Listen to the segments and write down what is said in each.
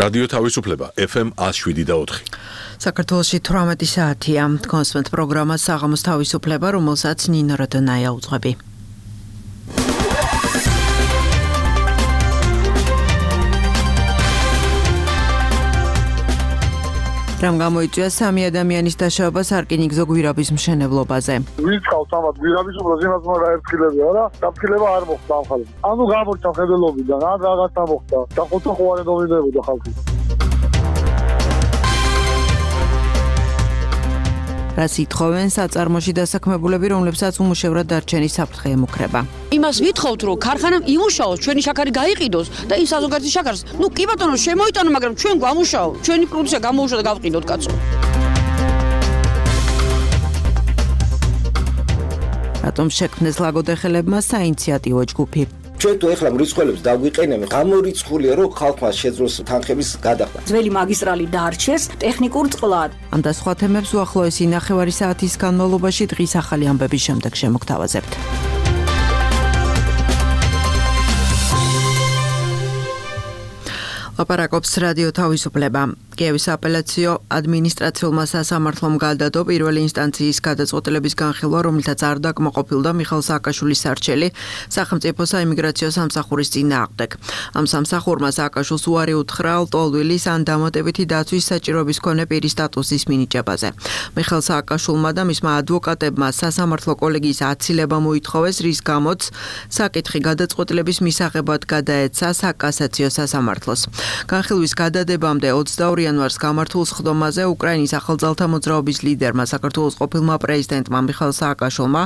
რადიო თავისუფლება FM 107.4. საქართველოში 18 საათია. კონსვენტ პროგრამა საღამოს თავისუფლება, რომელსაც ნინო როდონაია უძღვები. რამ გამოიწვია 3 ადამიანის დაშავება სარკინიგზო გვირაბის მშენებლობაზე. ვინც ყავს ამათ გვირაბის უბრალოდ იმას მარა ერთხილებია რა. დაფრთხილება არ მოხდა ამ ხალხს. ანუ გამორჩა ხედელობიდან, ან რაღაცა მოხდა. და ხოთო ხوارე დოვიდებოდა ხალხი. რას ითხოვენ საწარმოში დასაქმებულები, რომლებსაც უმუშევრად დარჩენის საფრთხე ემუქრება. იმას ვითხოვთ, რომ ქარხანამ იმუშაოს, ჩვენი შაქარი გაიყიდოს და იმ საზოგადოების შაქარს, კი ბატონო, შემოიტანო, მაგრამ ჩვენ გვამუშაო, ჩვენი პროდუქცია გამოუშვა და გავყიდოთ, კაცო. რატომ შექმნეს ლაგოდეხელებმა საინიციატივო ჯგუფი? ჩვენ თუ ეხლა მრიცხველებს დაგვიყენებთ, გამორიცხულია, რომ ხალხმა შეძლოს თანხების გადახდა. ძველი მაგისტრალი დაარჩეს ტექნიკურ წყლად. ამ და სხვა თემებს უახლოესი 9 საათის განმავლობაში დღის ახალი ამბების შემდეგ შემოგთავაზებთ. ლაპარაკობს რადიო თავისუფლება. კიევის აპელაციო ადმინისტრაციულმა სასამართლომ გადადო პირველი ინსტანციის გადაწყვეტილების განხილვა, რომლითაც არ დაკმაყოფილდა მიხეილ სააკაშვილის სარჩელი სახელმწიფო საიმიგრაციო სამსახურის წინააღმდეგ. ამ სამსახურმა სააკაშვილს უარი უთხრა ლტოლვილის ან დამატებითი დაცვის საჭიროების მქონე პირის სტატუსის მინიჭებაზე. მიხეილ სააკაშვილმა და მისმა ადვოკატებმა სასამართლო კოლეგიის აცილება მოითხოვეს, რის გამოც საკითხი გადაწყვეტილების მისაღებად გადაეცა საკასაციო სასამართლოს. განხილვის გადადებამდე 22 იანვარს გამართულ სხდომაზე უკრაინის ახალძალთა მოძრაობის ლიდერმა საქართველოს ყოფილმა პრეზიდენტმა მიხეილ სააკაშვილმა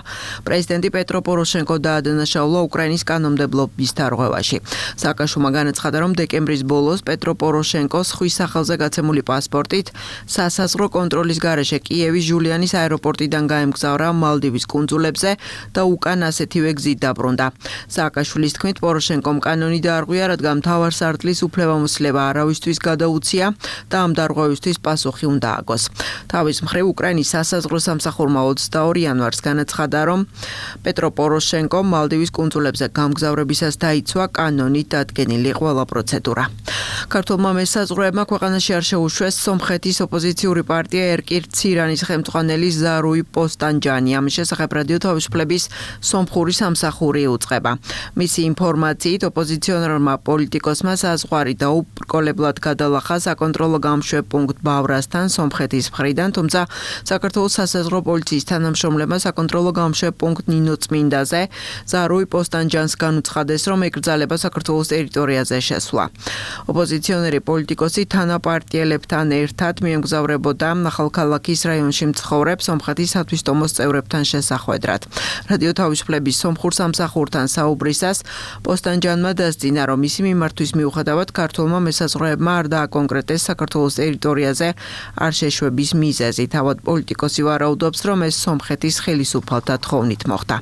პრეზიდენტი პეტრო პოროშენკო დაადანაშაულა უკრაინის კანონმდებლობის დარღვევაში. სააკაშვილმა განაცხადა, რომ დეკემბრის ბოლოს პეტრო პოროშენკოს ხვის სახელზე გაცემული პასპორტით სასაზღვრო კონტროლის გარეშე კიევის ჟულიანის აეროპორტიდან გაემგზავრა მალდივის კუნძულებზე და უკან ასეთივე გზით დაბრუნდა. სააკაშვილის თქმით, პოროშენკომ კანონი დაარღვია, რადგან მთავარსარდლის უფლებამოსილება არავისთვის გადაუცია და ამ დარღვევისთვის პასუხი უნდა აგოს. თავის მხრივ უკრაინის სასაზღვრო სამსახურმა 22 იანვარს განაცხადა, რომ პეტრო პოროშენკომ მალდივის კუნძულებზე გამგზავრებისას დაიცვა კანონით დადგენილი ყველა პროცედურა. ქართულმა მესაზღვრეებმა ქვეყანაში არ შეუშვეს სომხეთის ოპოზიციური პარტია ერკირ-ცირანის ხელმძღვანელი ზარუი პოსტანჯანი. ამის შესახებ რადიო თავისუფლების სომხური სამსახური უწყება. მისი ინფორმაციით ოპოზიციონერმა პოლიტიკოსმა საზღვარი დაუბრკოლებლად გადალახა საკონტროლო გამშვებ პუნქტ ბავრასთან სომხეთის მხრიდან, თუმცა საქართველოს სასაზღვრო პოლიციის თანამშრომლებმა საკონტროლო გამშვებ პუნქტ ნინოწმინდაზე ზარუი პოსტანჯანს განუცხადეს, რომ ეკრძალება საქართველოს ტერიტორიაზე შესვლა. ოპოზიციონერი პოლიტიკოსი თანაპარტიელებთან ერთად მიემგზავრებოდა ახალქალაქის რაიონში მცხოვრებ სომხეთის სათვისტომოს წევრებთან შესახვედრად. რადიო თავისუფლების სომხურ სამსახურთან საუბრისას პოსტანჯანმა დასძინა, რომ მისი მიმართვის მიუხედავად ქართულმა მესაზღვრეებმა არ დააკონკრეტეს საქართველოს ტერიტორიაზე არ შეშვების მიზეზი. თავად პოლიტიკოსი ვარაუდობს, რომ ეს სომხეთის ხელისუფალთა თხოვნით მოხდა.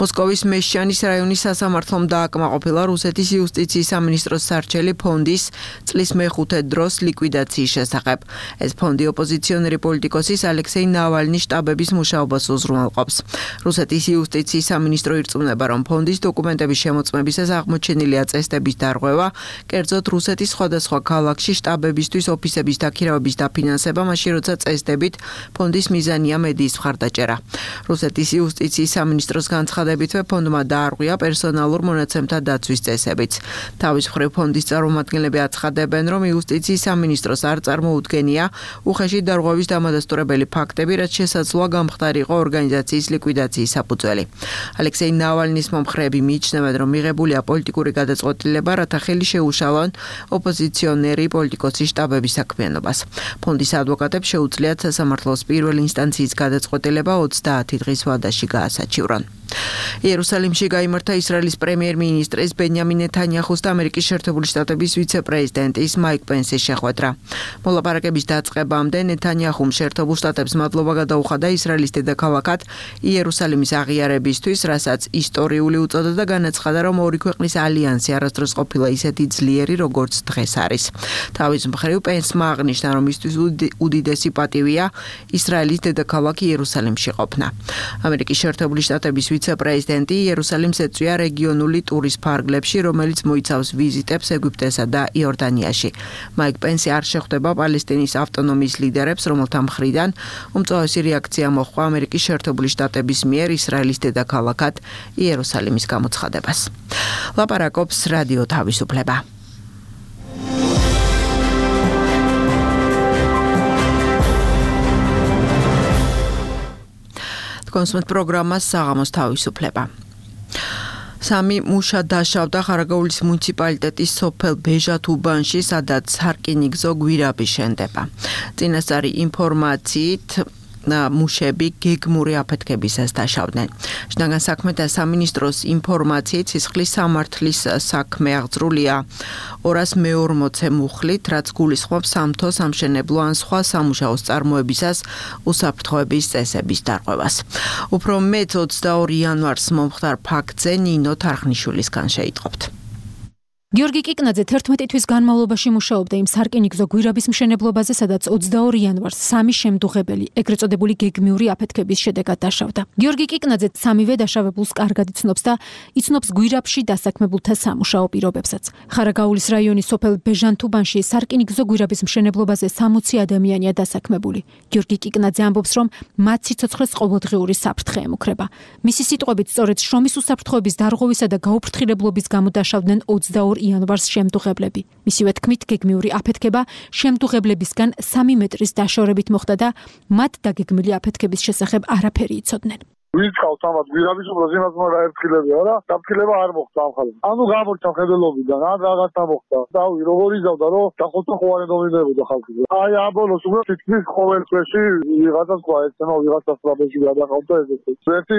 მოსკოვის მეშჩანის რაიონის სასამართლომ დააკმაყოფილა რუსეთის იუსტიციის სამინისტროს სარჩელი ფონდის წლის მეხუთე დროს ლიკვიდაციის შესახებ. ეს ფონდი ოპოზიციონერი პოლიტიკოსის ალექსეი ნავალნის შტაბების მუშაობას უზრუნველყოფს. რუსეთის იუსტიციის სამინისტრო ირწმუნება, რომ ფონდის დოკუმენტების შემოწმებისას აღმოჩენილია წესდების დარღვევა, კერძოდ რუსეთის სხვადასხვა ქალაქში შტაბებისთვის ოფისების დაქირავების დაფინანსება, მაშინ როცა წესდებით ფონდის მიზანია მედიის მხარდაჭერა. რუსეთის იუსტიციის სამინისტროს განცხადებითვე ფონდმა დაარღვია პერსონალურ მონაცემთა დაცვის წესებიც. თავის მხრივ ფონდის წარმომადგენლები აცხადებენ, რომ იუსტიციის სამინისტროს არ წარმოუდგენია უხეში დარღვევის დამადასტურებელი ფაქტები, რაც შესაძლოა გამხდარიყო ორგანიზაციის ლიკვიდაციის საფუძველი. ალექსეი ნავალნის მომხრეები მიიჩნევენ, რომ მიღებულია პოლიტიკური გადაწყვეტილება, რათა ხელი შეუშალონ ოპოზიციონერი პოლიტიკოსის შტაბების საქმიანობას. ფონდის ადვოკატებს შეუძლიათ სასამართლოს პირველი ინსტანციის გადაწყვეტილება 30 დღის ვადაში გაასაჩივრონ. იერუსალიმში გაიმართა ისრაელის პრემიერ-მინისტრის ბენიამინ ნეთანიაჰუს და ამერიკის შეერთებული შტატების ვიცე-პრეზიდენტის მაიკ პენსის შეხვედრა. მოლაპარაკების დაწყებამდე ნეთანიაჰუმ შეერთებულ შტატებს მადლობა გადაუხადა ისრაელის დედაქალაქად იერუსალიმის აღიარებისთვის, რასაც ისტორიული უწოდა და განაცხადა, რომ ორი ქვეყნის ალიანსი არასდროს ყოფილა ისეთი ძლიერი, როგორც დღეს არის. თავის მხრივ პენსმა აღნიშნა, რომ მისთვის უდიდესი პატივია ისრაელის დედაქალაქ იერუსალიმში ყოფნა. ამერიკის შეერთებული შტატების ვიცე-პრეზიდენტი იერუსალიმს ეწვია რეგიონული ტურის ფარგლებში, რომელიც მოიცავს ვიზიტებს ეგვიპტესა და იორდანიაში. მაიკ პენსი არ შეხვდება პალესტინის ავტონომიის ლიდერებს, რომელთა მხრიდან უმწვავესი რეაქცია მოჰყვა ამერიკის შეერთებული შტატების მიერ ისრაელის დედაქალაქად იერუსალიმის გამოცხადებას. ლაპარაკობს რადიო თავისუფლება. კონსუმენტ პროგრამა საღამოს თავისუფლება. სამი მუშა დაშავდა ხარაგაულის მუნიციპალიტეტის სოფელ ბეჟათუბანში, სადაც სარკინიგზო გვირაბი შენდება. წინასწარი ინფორმაციით მუშები გეგმური აფეთქებისას დაშავდნენ. შინაგან საქმეთა სამინისტროს ინფორმაციით სისხლის სამართლის საქმე აღძრულია 240 მუხლით, რაც გულისხმობს სამთო, სამშენებლო ან სხვა სამუშაოს წარმოებისას უსაფრთხოების წესების დარღვევას. უფრო მეტ 22 იანვარს მომხდარ ფაქტზე ნინო თარხნიშვილისგან შეიტყობთ. გიორგი კიკნაძე 11 თვის განმავლობაში მუშაობდა იმ სარკინიგზო გვირაბის მშენებლობაზე, სადაც 22 იანვარს სამი შემდუღებელი, ეგრეთ წოდებული გეგმიური აფეთქების შედეგად დაშავდა. გიორგი კიკნაძე სამივე დაშავებულს კარგად იცნობს და იცნობს გვირაბში დასაქმებულთა სამუშაო პირობებსაც. ხარაგაულის რაიონის სოფელ ბეჟანთუბანში სარკინიგზო გვირაბის მშენებლობაზე 60 ადამიანია დასაქმებული. გიორგი კიკნაძე ამბობს, რომ მათ სიცოცხლეს ყოველდღიური საფრთხე ემუქრება. მისი სიტყვებით, სწორედ შრომის უსაფრთხოების დარღვევისა და გაუფრთხილებლობის გამო დაშავდნენ 22 იანვარს შემდუღებლები. მისივე თქმით, გეგმიური აფეთქება შემდუღებლებისგან 3 მეტრის დაშორებით მოხდა და მათ დაგეგმილი აფეთქების შესახებ არაფერი იცოდნენ. ვინც ყავს ამათ გვირაბის უბრალოდ იმას უნდა ერთხილებია რა, დაფრთხილება არ მოხდა ამ ხალხს. ანუ გამორჩა ხედელობიდან, ან რაღაცა მოხდა. დავი როგორ იზავდა, რომ დახოთოხოვანი დომინებოდა ხალხი. აი ამ ბოლოს უკვე თითქმის ყოველ წრეში ვიღაცა სხვა ეცემა ვიღაცას ტრაბეში გადაყავდა ესეთი. ერთი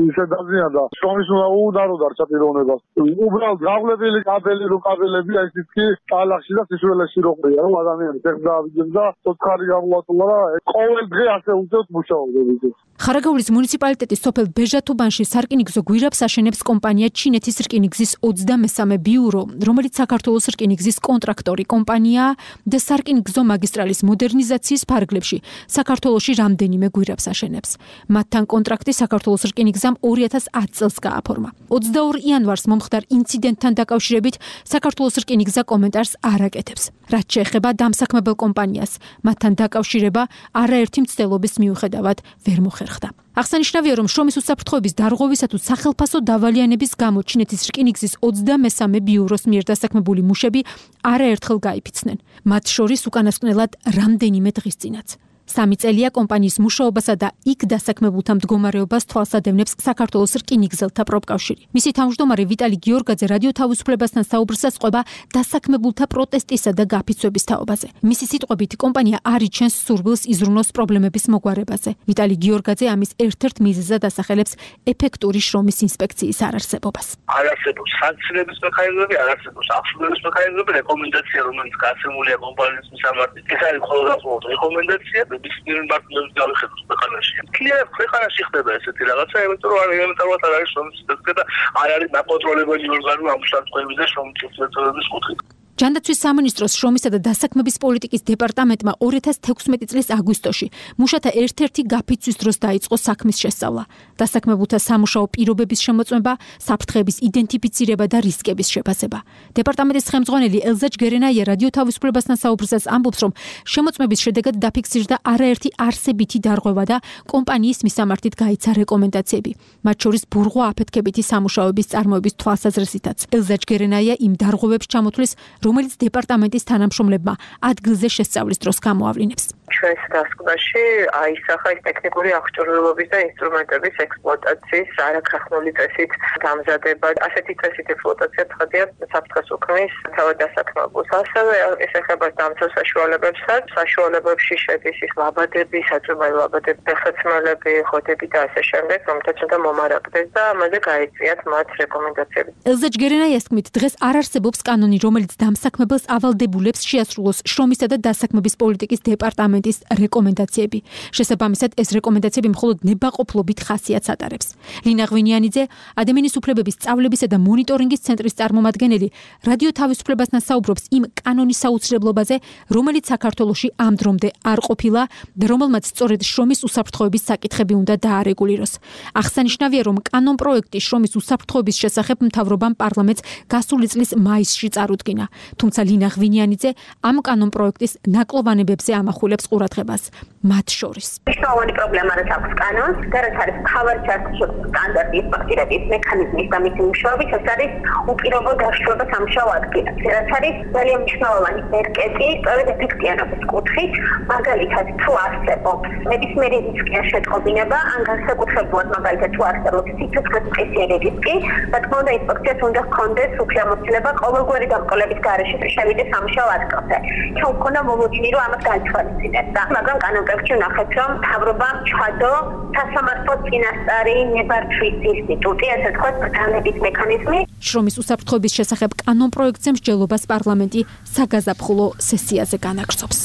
ისე დაზიანდა, შრომის უნდა დარჩა პიროვნებას. უბრალოდ გავლებილი კაბელი რუკაბელები აი თითქი ტალახში და სისულელეში როყრია, რომ ადამიანი ეხლა ავიდეს და ცოცხალი გამოვატოლა რა, ყოველ დღე ასე უწევს მუშაობდები. ხარაგაულის მუნიციპალიტეტის სოფელ ბეჟათუბანში სარკინიგზო გვირაბს აშენებს კომპანია ჩინეთის რკინიგზის 23 ბიურო, რომელიც საქართველოს რკინიგზის კონტრაქტორი კომპანიაა და სარკინიგზო მაგისტრალის მოდერნიზაციის ფარგლებში საქართველოში რამდენიმე გვირაბს აშენებს. მათთან კონტრაქტი საქართველოს რკინიგზამ 2010 წელს გააფორმა. 22 იანვარს მომხდარ ინციდენტთან დაკავშირებით საქართველოს რკინიგზა კომენტარს არ აკეთებს. რაც შეეხება დამსაქმებელ კომპანიას, მათთან დაკავშირება არაერთი მცდელობის მიუხედავად ვერ მოხერხდა. აღსანიშნავია, რომ შრომის უსაფრთხოების დარღვევისა თუ სახელფასო დავალიანების გამო ჩინეთის რკინიგზის 23 ბიუროს მიერ დასაქმებული მუშები არაერთხელ გაიფიცნენ. მათ შორის უკანასკნელად რამდენიმე დღის წინაც. 3 წელია კომპანიის მუშაობასა და იქ დასაქმებულთა მდგომარეობას თვალსადევნებს საქართველოს რკინიგზელთა პროფკავშირი. მისი თავმჯდომარე ვიტალი გიორგაძე რადიო თავისუფლებასთან საუბრისას ყვება დასაქმებულთა პროტესტისა და გაფიცვების თაობაზე. მისი სიტყვებით, კომპანია არ იჩენს სურვილს იზრუნოს პრობლემების მოგვარებაზე. ვიტალი გიორგაძე ამის ერთ-ერთ მიზეზად ასახელებს ეფექტური შრომის ინსპექციის არარსებობას. არ არსებობს სანქციების მექანიზმები, არ არსებობს აღსრულების მექანიზმები, რეკომენდაცია, რომელიც გასცემულია კომპანიის მისამართით. ეს არის მხოლოდ რეკომენდაცია. ბიზნეს პარტნიორებს გავიხედოთ ქვეყანაში. კლიენტ ქვეყანაში ხდება ესეთი რაღაცა, იმიტომ რომ ელემენტარულად არ არის შრომის ინსპექცია და არ არის დაკონტროლებელი ორგანო ამ უსაფრთხოების და შრომის ინსპექციის კუთხით. ჯანდაცვის სამინისტროს შრომისა და დასაქმების პოლიტიკის დეპარტამენტმა 2016 წლის აგვისტოში მუშათა ერთ-ერთი გაფიცვის დროს დაიწყო საქმის შესწავლა. დასაქმებულთა სამუშაო პირობების შემოწმება, საფრთხეების იდენტიფიცირება და რისკების შეფასება. დეპარტამენტის ხელმძღვანელი ელზა ჯგერენაია რადიო თავისუფლებასთან საუბრისას ამბობს, რომ შემოწმების შედეგად დაფიქსირდა არაერთი არსებითი დარღვევა და კომპანიის მისამართით გაიცა რეკომენდაციები. მათ შორის ბურღვა აფეთქებითი სამუშაოების წარმოების თვალსაზრისითაც. ელზა ჯგერენაია იმ დარღვევებს ჩამოთვლის, რომელიც დეპარტამენტის თანამშრომლებმა ადგილზე შესწავლის დროს გამოავლინებს. ჩვენს დასკვნაში აისახა ტექნიკური აღჭურვილობის და ინსტრუმენტების ექსპლუატაციის არაქრახმული წესით დამზადება. ასეთი წესით ექსპლუატაცია ცხადია საფრთხეს უქმნის თავად დასაქმებულს. ასევე ეს ეხება დამცავ საშუალებებსაც. საშუალებებში შედის ის ლაბადები, საწვევი ლაბადები, ფეხსაცმელები, ხოდები და ასე შემდეგ, რომელთაც უნდა მომარაგდეს და ამაზე გაიწვიათ მათ რეკომენდაციები. ელზა ჯგერენაიას თქმით, დღეს არ არსებობს კანონი, რომელიც დამსაქმებელს ავალდებულებს შეასრულოს შრომისა და დასაქმების პოლიტიკის დეპარტამენტის პარლამენტის რეკომენდაციები. შესაბამისად, ეს რეკომენდაციები მხოლოდ ნებაყოფლობით ხასიათს ატარებს. ლინა ღვინიანიძე, ადამიანის უფლებების სწავლებისა და მონიტორინგის ცენტრის წარმომადგენელი, რადიო თავისუფლებასთან საუბრობს იმ კანონის საუცრებლობაზე, რომელიც საქართველოში ამ დრომდე არ ყოფილა და რომელმაც სწორედ შრომის უსაფრთხოების საკითხები უნდა დაარეგულიროს. აღსანიშნავია, რომ კანონ პროექტი შრომის უსაფრთხოების შესახებ მთავრობამ პარლამენტს გასული წლის მაისში წარუდგინა. თუმცა ლინა ღვინიანიძე ამ კანონ პროექტის ნაკლოვანებებზე ამახვილებს ყურადღებას. მათ შორის მნიშვნელოვანი პრობლემა რაც აქვს კანონს და რაც არის მთავარი საერთაშორისო სტანდარტის პაქტირების მექანიზმის და მისი მუშაობის, ეს არის უპირობო დაშლება სამუშაო ადგილას. რაც არის ძალიან მნიშვნელოვანი მერკეზი, სწორედ ეფექტიანობის კუთხით, მაგალითად თუ არსებობს ნებისმიერი რისკი ან შეტყობინება, ან განსაკუთრებულად მაგალითად თუ არსებობს სიცოცხლის მყისიერი რისკი, რა თქმა უნდა ინსპექციას უნდა ჰქონდეს უფლებამოსილება ყოველგვარი დამკოლების გარეშე შევიდეს სამუშაო ადგილზე. ჩვენ გვქონდა მომოდინი, რომ ამას გაითვალისწინებდა, მაგრამ კანონპროექტში ვნახეთ, რომ მთავრობამ ჩადო სასამართლო წინასწარი ნებართვის ინსტიტუტი, ასე ვთქვათ, ბრძანების მექანიზმი. შრომის უსაფრთხოების შესახებ კანონ პროექტზე მსჯელობას პარლამენტი საგაზაფხულო სესიაზე განაგრძობს.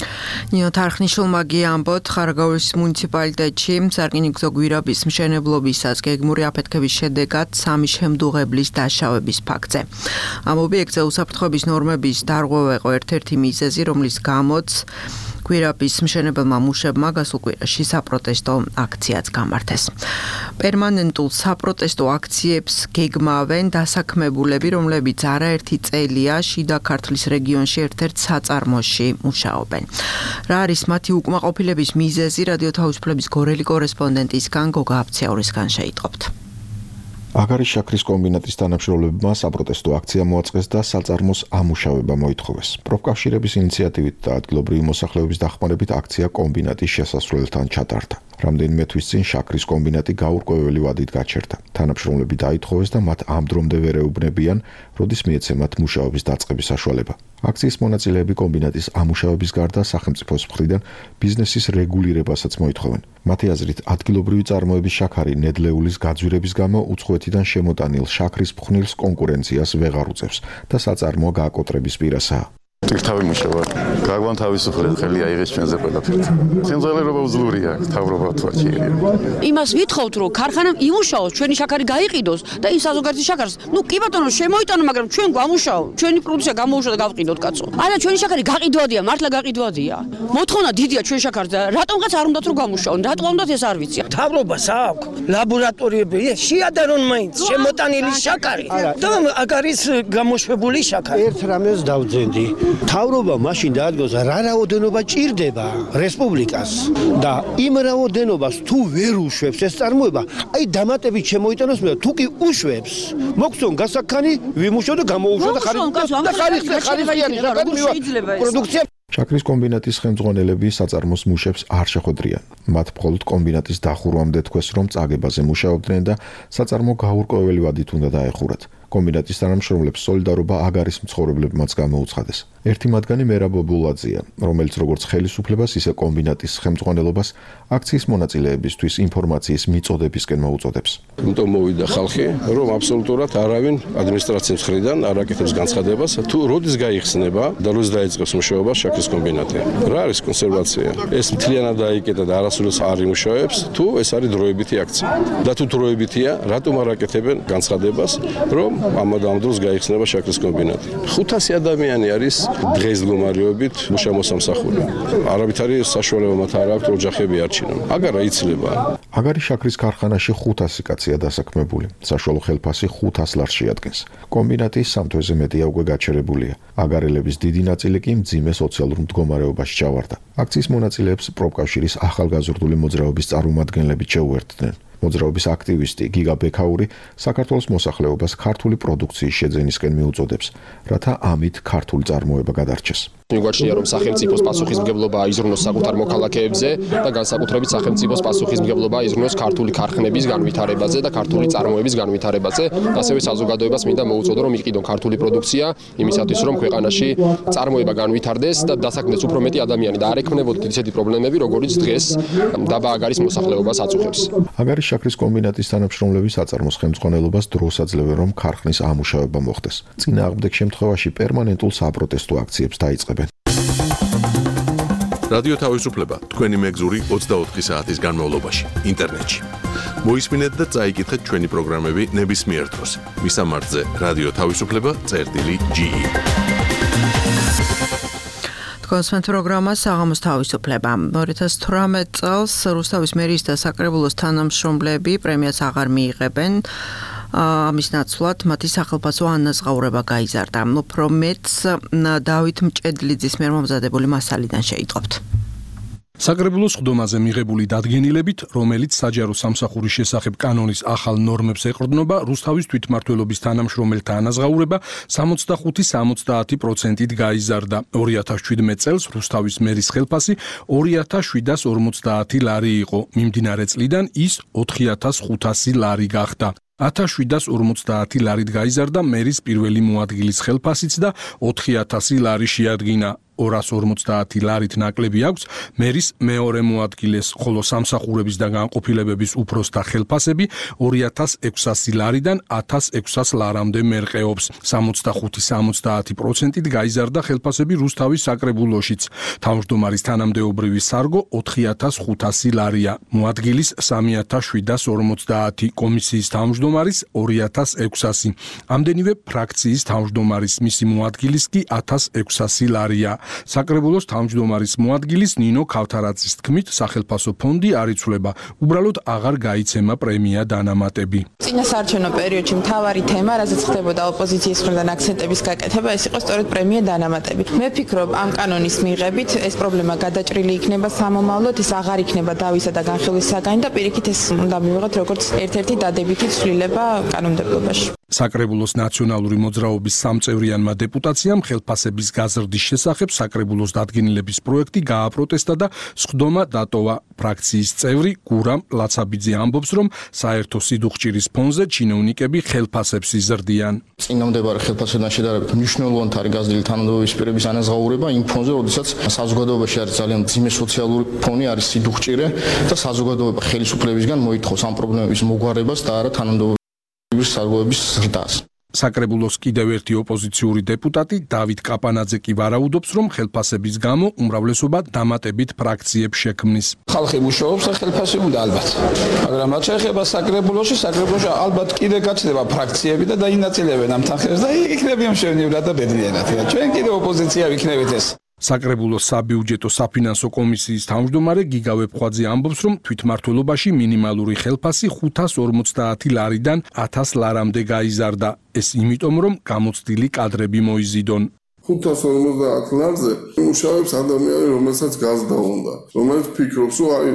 ნინო თარხნიშვილმა ამბობთ, ხარაგაულის მუნიციპალიტეტში სარკინიგზო გვირაბის მშენებლობისას გეგმური აფეთქების შედეგად 3 შემდუღებლის დაშავების ფაქტზე. ამ ობიექტზე უსაფრთხოების ნორმების დარღვევა იყო ერთ-ერთი მიზეზი, რომლის გამოც გვირაბის მშენებელმა მუშებმა გასულ კვირაში საპროტესტო აქციაც გამართეს. პერმანენტულ საპროტესტო აქციებს გეგმავენ დასაქმებულები, რომლებიც არაერთი წელია შიდა ქართლის რეგიონში ერთ-ერთ საწარმოში მუშაობენ. რა არის მათი უკმაყოფილების მიზეზი, რადიო თავისუფლების გორელი კორესპონდენტისგან გოგა აფციაურისგან შეიტყობთ. აგარის შაქრის კომბინატის თანამშრომლებმა საპროტესტო აქცია მოაწყეს და საწარმოს ამუშავება მოითხოვეს. პროფკავშირების ინიციატივით და ადგილობრივი მოსახლეობის დახმარებით აქცია კომბინატის შესასვლელთან ჩატარდა. რამდენიმე თვის წინ შაქრის კომბინატი გაურკვეველი ვადით გაჩერდა. თანამშრომლები დაითხოვეს და მათ ამ დრომდე ვერ ეუბნებიან, როდის მიეცემათ მუშაობის დაწყების საშუალება. აქციის მონაწილეები კომბინატის ამუშავების გარდა სახელმწიფოს მხრიდან ბიზნესის რეგულირებასაც მოითხოვენ. მათი აზრით, ადგილობრივი წარმოების შაქარი ნედლეულის გაძვირების გამო უცხოეთიდან შემოტანილ შაქრის ფხვნილს კონკურენციას ვეღარ უწევს და საწარმო გააკოტრების პირასაა. ტირთავი მუშაობა გაგვან თავისუფლად ხელი აიღეს ჩვენზე ყველაფერს. სიმძლავრეობა უძლურია, თავრობა თვალჩია. იმას ვითხოვთ, რომ ქარხანამ იმუშაოს, ჩვენი შაქარი გაიყიდოს და იმ საზოგადოების შაქარს, ნუ კი ბატონო, შემოიტანო, მაგრამ ჩვენ გვამუშაო, ჩვენი პროდუქცია გამოუშვა და გავყიდოთ, კაცო. არა, ჩვენი შაქარი გაყიდვადია, მართლა გაყიდვადია. მოთხოვნა დიდია ჩვენ შაქარს და რატომღაც არ უნდათ რომ გამუშაონ, რატომ უნდათ ეს არ ვიცი. თავრობას აქვს ლაბორატორიები, შეადარონ მაინც შემოტანილი შაქარი და აგარის გამოშვებული შაქარი. ერთ რამეს დავძენდი. თავრობა მაშინ დაადგოს რა რაოდენობა ჭირდება რესპუბლიკას და იმ რაოდენობას თუ ვერ უშვებს ეს წარმოება, აი დამატებით შემოიტანოს მე თუ კი უშვებს, მოგწონ გასაქანი ვიმუშო და გამოუშვა და ხარისხიანი პროდუქცია. შაქრის კომბინატის ხელმძღვანელები საწარმოს მუშებს არ შეხვედრიან. მათ მხოლოდ კომბინატის დახურვამდე თქვეს, რომ წაგებაზე მუშაობდნენ და საწარმო გაურკვეველი ვადით უნდა დაეხურათ. კომბინატის თანამშრომლებს სოლიდარობა აგარის მცხოვრებლებმაც გამოუცხადეს. ერთი მათგანი მერაბ ბულაძეა, რომელიც როგორც ხელისუფლებას, ისე კომბინატის ხელმძღვანელობას აქციის მონაწილეებისთვის ინფორმაციის მიწოდებისკენ მოუწოდებს. იმიტომ მოვიდა ხალხი, რომ აბსოლუტურად არავინ ადმინისტრაციის მხრიდან არ აკეთებს განცხადებას, თუ როდის გაიხსნება და როდის დაიწყებს მუშაობა შაქრის კომბინატი. რა არის კონსერვაცია? ეს მთლიანად დაიკეტა და არასდროს არ იმუშავებს, თუ ეს არის დროებითი აქცია. და თუ დროებითია, რატომ არ აკეთებენ განცხადებას, რომ ამ დროს გაიხსნება შაქრის კომბინატი. 500 ადამიანი არის დღეს მდგომარეობით მუშამოსამსახური. არავითარი საშუალება მათ არ აქვს ოჯახები არჩინონ. აგარა იცლება. აგარის შაქრის ქარხანაში 500 კაცია დასაქმებული. საშუალო ხელფასი 500 ლარს შეადგენს. კომბინატი 3 თვეზე მეტია უკვე გაჩერებულია. აგარელების დიდი ნაწილი კი მძიმე სოციალურ მდგომარეობაში ჩავარდა. აქციის მონაწილეებს პროფკავშირის ახალგაზრდული მოძრაობის წარმომადგენლები შეუერთდნენ. მოძრაობის აქტივისტი გიგა ბექაური საქართველოს მოსახლეობას ქართული პროდუქციის შეძენისკენ მიუწოდებს, რათა ამით ქართული წარმოება გადარჩეს. მიგვაჩნია, რომ სახელმწიფოს პასუხისმგებლობა აიზრუნოს საკუთარ მოქალაქეებზე და განსაკუთრებით სახელმწიფოს პასუხისმგებლობა აიზრუნოს ქართული ქარხნების განვითარებაზე და ქართული წარმოების განვითარებაზე. ასევე საზოგადოებას მინდა მოუწოდო, რომ იყიდონ ქართული პროდუქცია იმისათვის, რომ ქვეყანაში წარმოება განვითარდეს და დასაქმდეს უფრო მეტი ადამიანი და არ ექმნებოდეთ ისეთი პრობლემები, როგორიც დღეს დაბა აგარის მოსახლეობას აწუხებს. აგარის შაქრის კომბინატის თანამშრომლები საწარმოს ხელმძღვანელობას დროს აძლევენ, რომ ქარხნის ამუშავება მოხდეს. წინააღმდეგ შემთხვევაში პერმანენტულ საპროტესტო აქციებს დაიწყებენ. რადიო თავისუფლება თქვენი მეგზური 24 საათის განმავლობაში ინტერნეტში. მოისმინეთ და წაიკითხეთ ჩვენი პროგრამები ნებისმიერ დროს. მისამართზე რადიო თავისუფლება.ge. კონსმენთ პროგრამა საღამოს თავისუფლება. 2018 წელს რუსთავის მერიის და საკრებულოს თანამშრომლები პრემიას აღარ მიიღებენ. ამის ნაცვლად მათი სახელმწიფო ანაზღაურება გაიზარდა. უფრო მეტს დავით მჭედლიძის მიერ მომზადებული მასალიდან შეიტყობთ. საკრებულოს ხდომაზე მიღებული დადგენილებით, რომელიც საჯარო სამსახურის შესახებ კანონის ახალ ნორმებს ეყრდნობა, რუსთავის თვითმმართველობის თანამშრომელთა ანაზღაურება 65-70%-ით გაიზარდა. 2017 წელს რუსთავის მერის ხელფასი 2750 ლარი იყო. მიმდინარე წლიდან ის 4500 ლარი გახდა. 1750 ლარით გაიზარდა მერის პირველი მოადგილის ხელფასიც და 4000 ლარი შეადგინა. 250 ლარით ნაკლები აქვს მერის მეორე მოადგილეს, ხოლო სამსახურების და განყოფილებების უფროსთა ხელფასები 2600 ლარიდან 1600 ლარამდე მერყეობს. 65-70%-ით გაიზარდა ხელფასები რუსთავის საკრებულოშიც. თავმჯდომარის თანამდებობრივი სარგო 4500 ლარია, მოადგილის 3750, კომისიის თავმჯდომარის 2600. ამდენივე ფრაქციის თავმჯდომარის მისი მოადგილის კი 1600 ლარია. საკრებულოს თავმჯდომარის მოადგილის ნინო ქავთარაძის თქმით, სახელმწიფო ფონდი არ იცვლება, უბრალოდ აღარ გაიცემა პრემია დანამატები. წინასაარჩევნო პერიოდში მთავარი თემა, რაზეც ხდებოდა ოპოზიციის მხრიდან აქცენტების გაკეთება, ეს იყო სწორედ პრემია დანამატები. მე ვფიქრობ, ამ კანონის მიღებით ეს პრობლემა გადაჭრილი იქნება სამომავლოდ, ის აღარ იქნება დავისა და განხილვის საგანი და პირიქით ეს უნდა მივიღოთ როგორც ერთ-ერთი დადებითი ცვლილება კანონმდებლობაში. საკრებულოს ნაციონალური მოძრაობის სამწევრიანმა დეპუტაციამ ხელფასების გაზრდის შესახებ საკრებულოს დადგენილების პროექტი გააპროტესტა და სხდომა დატოვა. ფრაქციის წევრი გურამ ლაცაბიძე ამბობს, რომ საერთო სიდუხჭირის ფონზე ჩინოვნიკები ხელფასებს იზრდიან. წინამდებარე ხელფასებთან შედარებით მნიშვნელოვანი არის გაზრდილი თანამდებობის პირების ანაზღაურება იმ ფონზე, როდესაც საზოგადოებაში არის ძალიან მძიმე სოციალური ფონი, არის სიდუხჭირე და საზოგადოება ხელისუფლებისგან მოითხოვს ამ პრობლემების მოგვარებას და არა თანამდებობის სარგოების ზრდას. საკრებულოს კიდევ ერთი ოპოზიციური დეპუტატი დავით კაპანაძე კი ვარაუდობს, რომ ხელფასების გამო უმრავლესობა დამატებით ფრაქციებს შექმნის. ხალხი მუშაობს და ხელფასი უნდა ალბათ. მაგრამ რაც შეეხება საკრებულოში ალბათ კიდე გაჩნდება ფრაქციები და დაინაწილებენ ამ თანხებს და იქნებიან მშვენივრად და ბედნიერად. ჩვენ კიდე ოპოზიცია ვიქნებით ეს. საკრებულოს საბიუჯეტო საფინანსო კომისიის თავმჯდომარე გიგა ვეფხვაძე ამბობს, რომ თვითმმართველობაში მინიმალური ხელფასი 550 ლარიდან 1000 ლარამდე გაიზარდა. ეს იმიტომ, რომ გამოცდილი კადრები მოიზიდონ. 550 ლარზე მუშაობს ადამიანი, რომელსაც გაზრდა უნდა, რომელიც ფიქრობს, რომ აი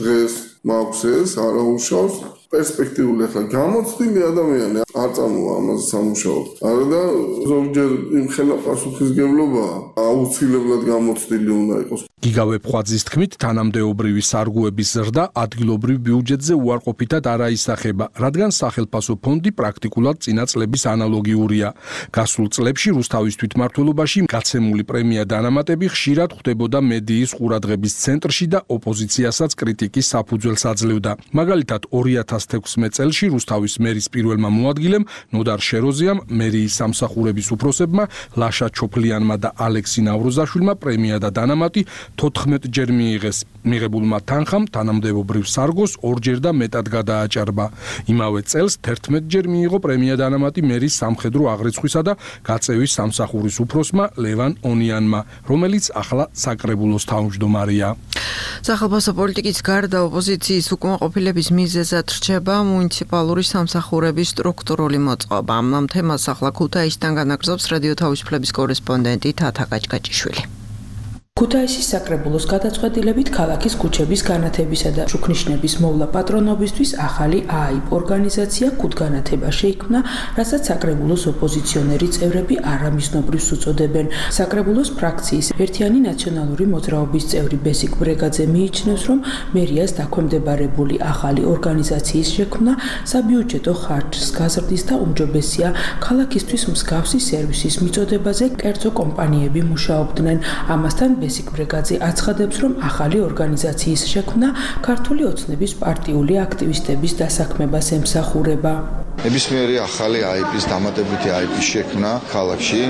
დღეს მაქვს ეს, არა უშავს, პერსპექტიული ახლა გამოცდილი ადამიანი არ წამოვა ამაზე სამუშაოდ. არა და ზოგჯერ იმ ხელაპასუხისგებლობა აუცილებლად გამოცდილი უნდა იყოს. გიგა ვეფხვაძის თქმით, თანამდებობრივი სარგოების ზრდა ადგილობრივ ბიუჯეტზე უარყოფითად არ აისახება, რადგან სახელმწიფო ფონდი პრაქტიკულად წინა წლების ანალოგიურია. გასულ წლებში რუსთავის თვითმმართველობაში გაცემული პრემია დანამატები ხშირად ხვდებოდა მედიის ყურადღების ცენტრში და ოპოზიციასაც კრიტიკის საფუძველს აძლევდა. მაგალითად 2016 წელს რუსთავის მერის პირველმა მოადგილემ ნოდარ შეროზიამ, მერიის სამსახურების უფროსებმა ლაშა ჩოფლიანმა და ალექსი ნავროზაშვილმა პრემია და დანამატი 14 ჯერ მიიღეს. მიღებულმა თანხამ თანამდებობრივ სარგოს 2 ჯერ და მეტად გადააჭარბა. იმავე წელს 11 ჯერ მიიღო პრემია დანამატი მერის სამხედრო აღრიცხვისა და გაწევის სამსახურის უფროსმა ლევან ონიანმა, რომელიც ახლა საკრებულოს თავმჯდომარეა. სახელმწიფო პოლიტიკის გარდა ოპოზიციის უკმაყოფილების მიზეზად რჩება მუნიციპალური სამსახურების სტრუქტურული მოწყობა. ამ თემას ახლა ქუთაისიდან განაგრძობს რადიო თავისუფლების კორესპონდენტი თათა გაჭგაჭიშვილი. ქუთაისის საკრებულოს გადაწყვეტილებით ქალაქის ქუჩების განათებისა და შუქნიშნების მოვლა პატრონობისთვის ახალი ააიპ ორგანიზაცია ქუთგანათება შეიქმნა, რასაც საკრებულოს ოპოზიციონერი წევრები არამიზნობრივს უწოდებენ. საკრებულოს ფრაქციის ერთიანი ნაციონალური მოძრაობის წევრი ბესიკ ბრეგაძე მიიჩნევს, რომ მერიას დაქვემდებარებული ახალი ორგანიზაციის შექმნა საბიუჯეტო ხარჯს გაზრდის და უმჯობესია ქალაქისთვის მსგავსი სერვისის მიწოდებაზე კერძო კომპანიები მუშაობდნენ. ამასთან ბესიკ ბრეგაძე აცხადებს, რომ ახალი ორგანიზაციის შექმნა ქართული ოცნების პარტიული აქტივისტების დასაქმებას ემსახურება. ნებისმიერი ახალი IP-ის დამატებითი IP-ის შექმნა ქალაქში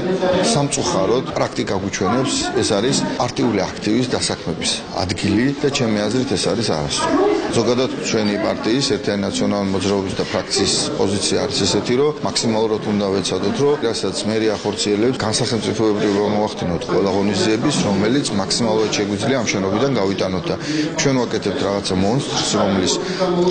სამწუხაროდ პრაქტიკა გვიჩვენებს, ეს არის პარტიული აქტივის დასაქმების ადგილი და ჩემი აზრით ეს არის არასწორი. ზოგადად ჩვენი პარტიის ერთიანი ნაციონალური მოძრაობის და ფრაქციის პოზიცია არის ესეთი, რომ მაქსიმალურად უნდა ვეცადოთ, რომ რასაც მერია ახორციელებს, განსახელმწიფოებრივ მოახდინოთ ყველა ღონისძიების, რომელიც მაქსიმალურად შეგვიძლია ამ შენობიდან გავიტანოთ და ჩვენ ვაკეთებთ რაღაცა მონსტრს, რომლის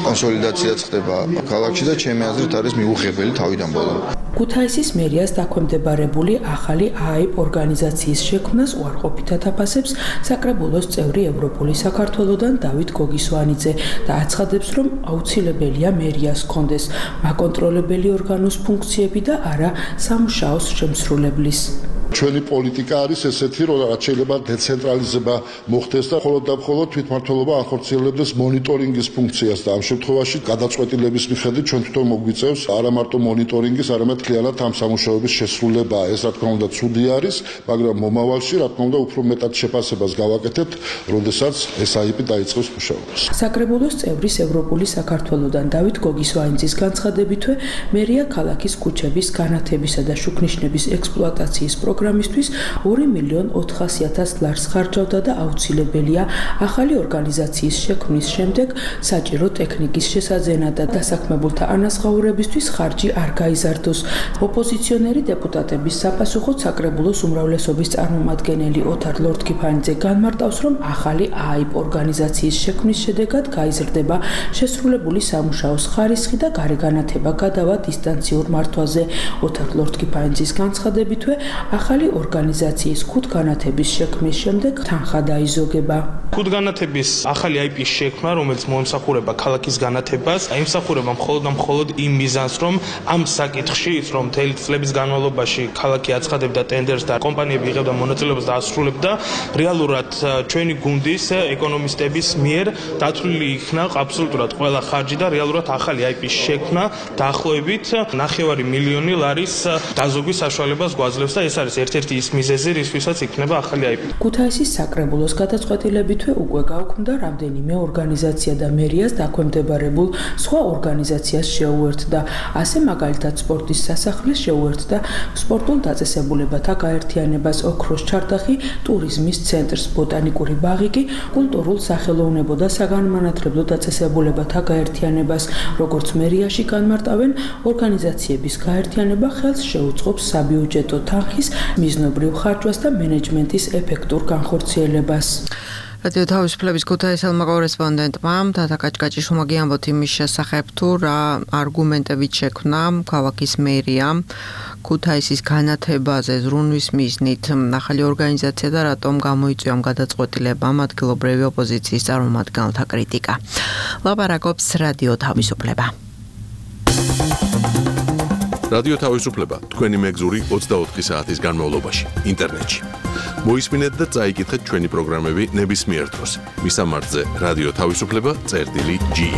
კონსოლიდაციაც ხდება ქალაქში და ჩემი აზრით არის მიუღებელი თავიდან ბოლომდე. ქუთაისის მერიას დაქვემდებარებული ახალი AIP ორგანიზაციის შექმნას უარყოფითად აფასებს საკრებულოს წევრი ევროპული საქართველოდან დავით გოგისვანიძე და აცხადებს, რომ აუცილებელია მერიას ჰქონდეს მაკონტროლებელი ორგანოს ფუნქციები და არა სამუშაოს შემსრულებლის. ჩვენი პოლიტიკა არის ესეთი, რომ რაც შეიძლება დეცენტრალიზება მოხდეს და მხოლოდ და მხოლოდ თვითმმართველობა ახორციელებდეს მონიტორინგის ფუნქციას და ამ შემთხვევაში გადაწყვეტილების მიხედვით ჩვენ თვითონ მოგვიწევს არა მარტო მონიტორინგის, არამედ მთლიანად ამ სამუშაოების შესრულება. ეს რა თქმა უნდა ცუდი არის, მაგრამ მომავალში რა თქმა უნდა უფრო მეტად შეფასებას გავაკეთებთ, როდესაც ეს AIP დაიწყებს მუშაობას. საკრებულოს წევრის ევროპული საქართველოდან დავით გოგისვანიძის განცხადებითვე მერია ქალაქის ქუჩების განათებისა და შუქნიშნების ექსპლუატაციის პროგრამისთვის 2.400.000 ლარს ხარჯავდა და აუცილებელია ახალი ორგანიზაციის შექმნის შემდეგ საჭირო ტექნიკის შესაძენა და დასაქმებულთა ანაზღაურებისთვის ხარჯი არ გაიზარდოს. ოპოზიციონერი დეპუტატების საფასუხოდ საკრებულოს უმრავლესობის წარმომადგენელი ოთარ ლორთქიფანიძე განმარტავს, რომ ახალი AIP ორგანიზაციის შექმნის შედეგად გაიზრდება შესრულებული სამუშაოს ხარისხი და გარეგანათება გადავა დისტანციურ მართვაზე. ოთარ ლორთქიფანიძის განცხადებითვე ახალი ორგანიზაციის ქუთგანათების შექმნის შემდეგ თანხა დაიზოგება. ქუთგანათების ახალი AIP-ის შექმნა, რომელიც მოემსახურება ქალაქის განათებას, აიმსახურება მხოლოდ იმ მიზანს, რომ ამ საკითხში, რომ მთელი წლების განმავლობაში ქალაქი აცხადებდა ტენდერს და კომპანიები იღებდა მონაწილეობას და ასრულებდა, რეალურად ჩვენი გუნდის ეკონომისტების მიერ დათვლილი იქნა აბსოლუტურად ყველა ხარჯი და რეალურად ახალი AIP-ის შექმნა დაახლოებით 9 მილიონი ლარის დაზოგვის საშუალებას გვაძლევს და ეს არის ერთ-ერთი ის მიზეზი, რისთვისაც იქნება ახალი AIP. ქუთაისის საკრებულოს გადაწყვეტილებითვე უკვე გაუქმდა რამდენიმე ორგანიზაცია და მერიას დაქვემდებარებულ სხვა ორგანიზაციას შეუერთდა. ასე მაგალითად სპორტის სასახლეს შეუერთდა სპორტულ დაწესებულებათა გაერთიანებას ოქროს ჩარდახი, ტურიზმის ცენტრს ბოტანიკური ბაღი კი კულტურულ სახელოვნებო და საგანმანათლებლო დაწესებულებათა გაერთიანებას. როგორც მერიაში განმარტავენ, ორგანიზაციების გაერთიანება ხელს შეუწყობს საბიუჯეტო თანხის მიზნობრივ ხარჯვას და მენეჯმენტის ეფექტურ განხორციელებას. რადიო თავისუფლების ქუთაისელმა კორესპონდენტმა თათა კაჭკაჭიშვილმა გიამბოთ იმის შესახებ, თუ რა არგუმენტებით შექმნა ქალაქის მერია ქუთაისის განათებაზე ზრუნვის მიზნით ახალი ორგანიზაცია და რატომ გამოიწვია ამ გადაწყვეტილებამ ადგილობრივი ოპოზიციის წარმომადგენელთა კრიტიკა. ლაპარაკობს რადიო თავისუფლება. რადიო თავისუფლება თქვენი მეგზური 24 საათის განმავლობაში ინტერნეტში. მოისმინეთ და წაიკითხეთ ჩვენი პროგრამები ნებისმიერ დროს. მისამართზე რადიო თავისუფლება.ge.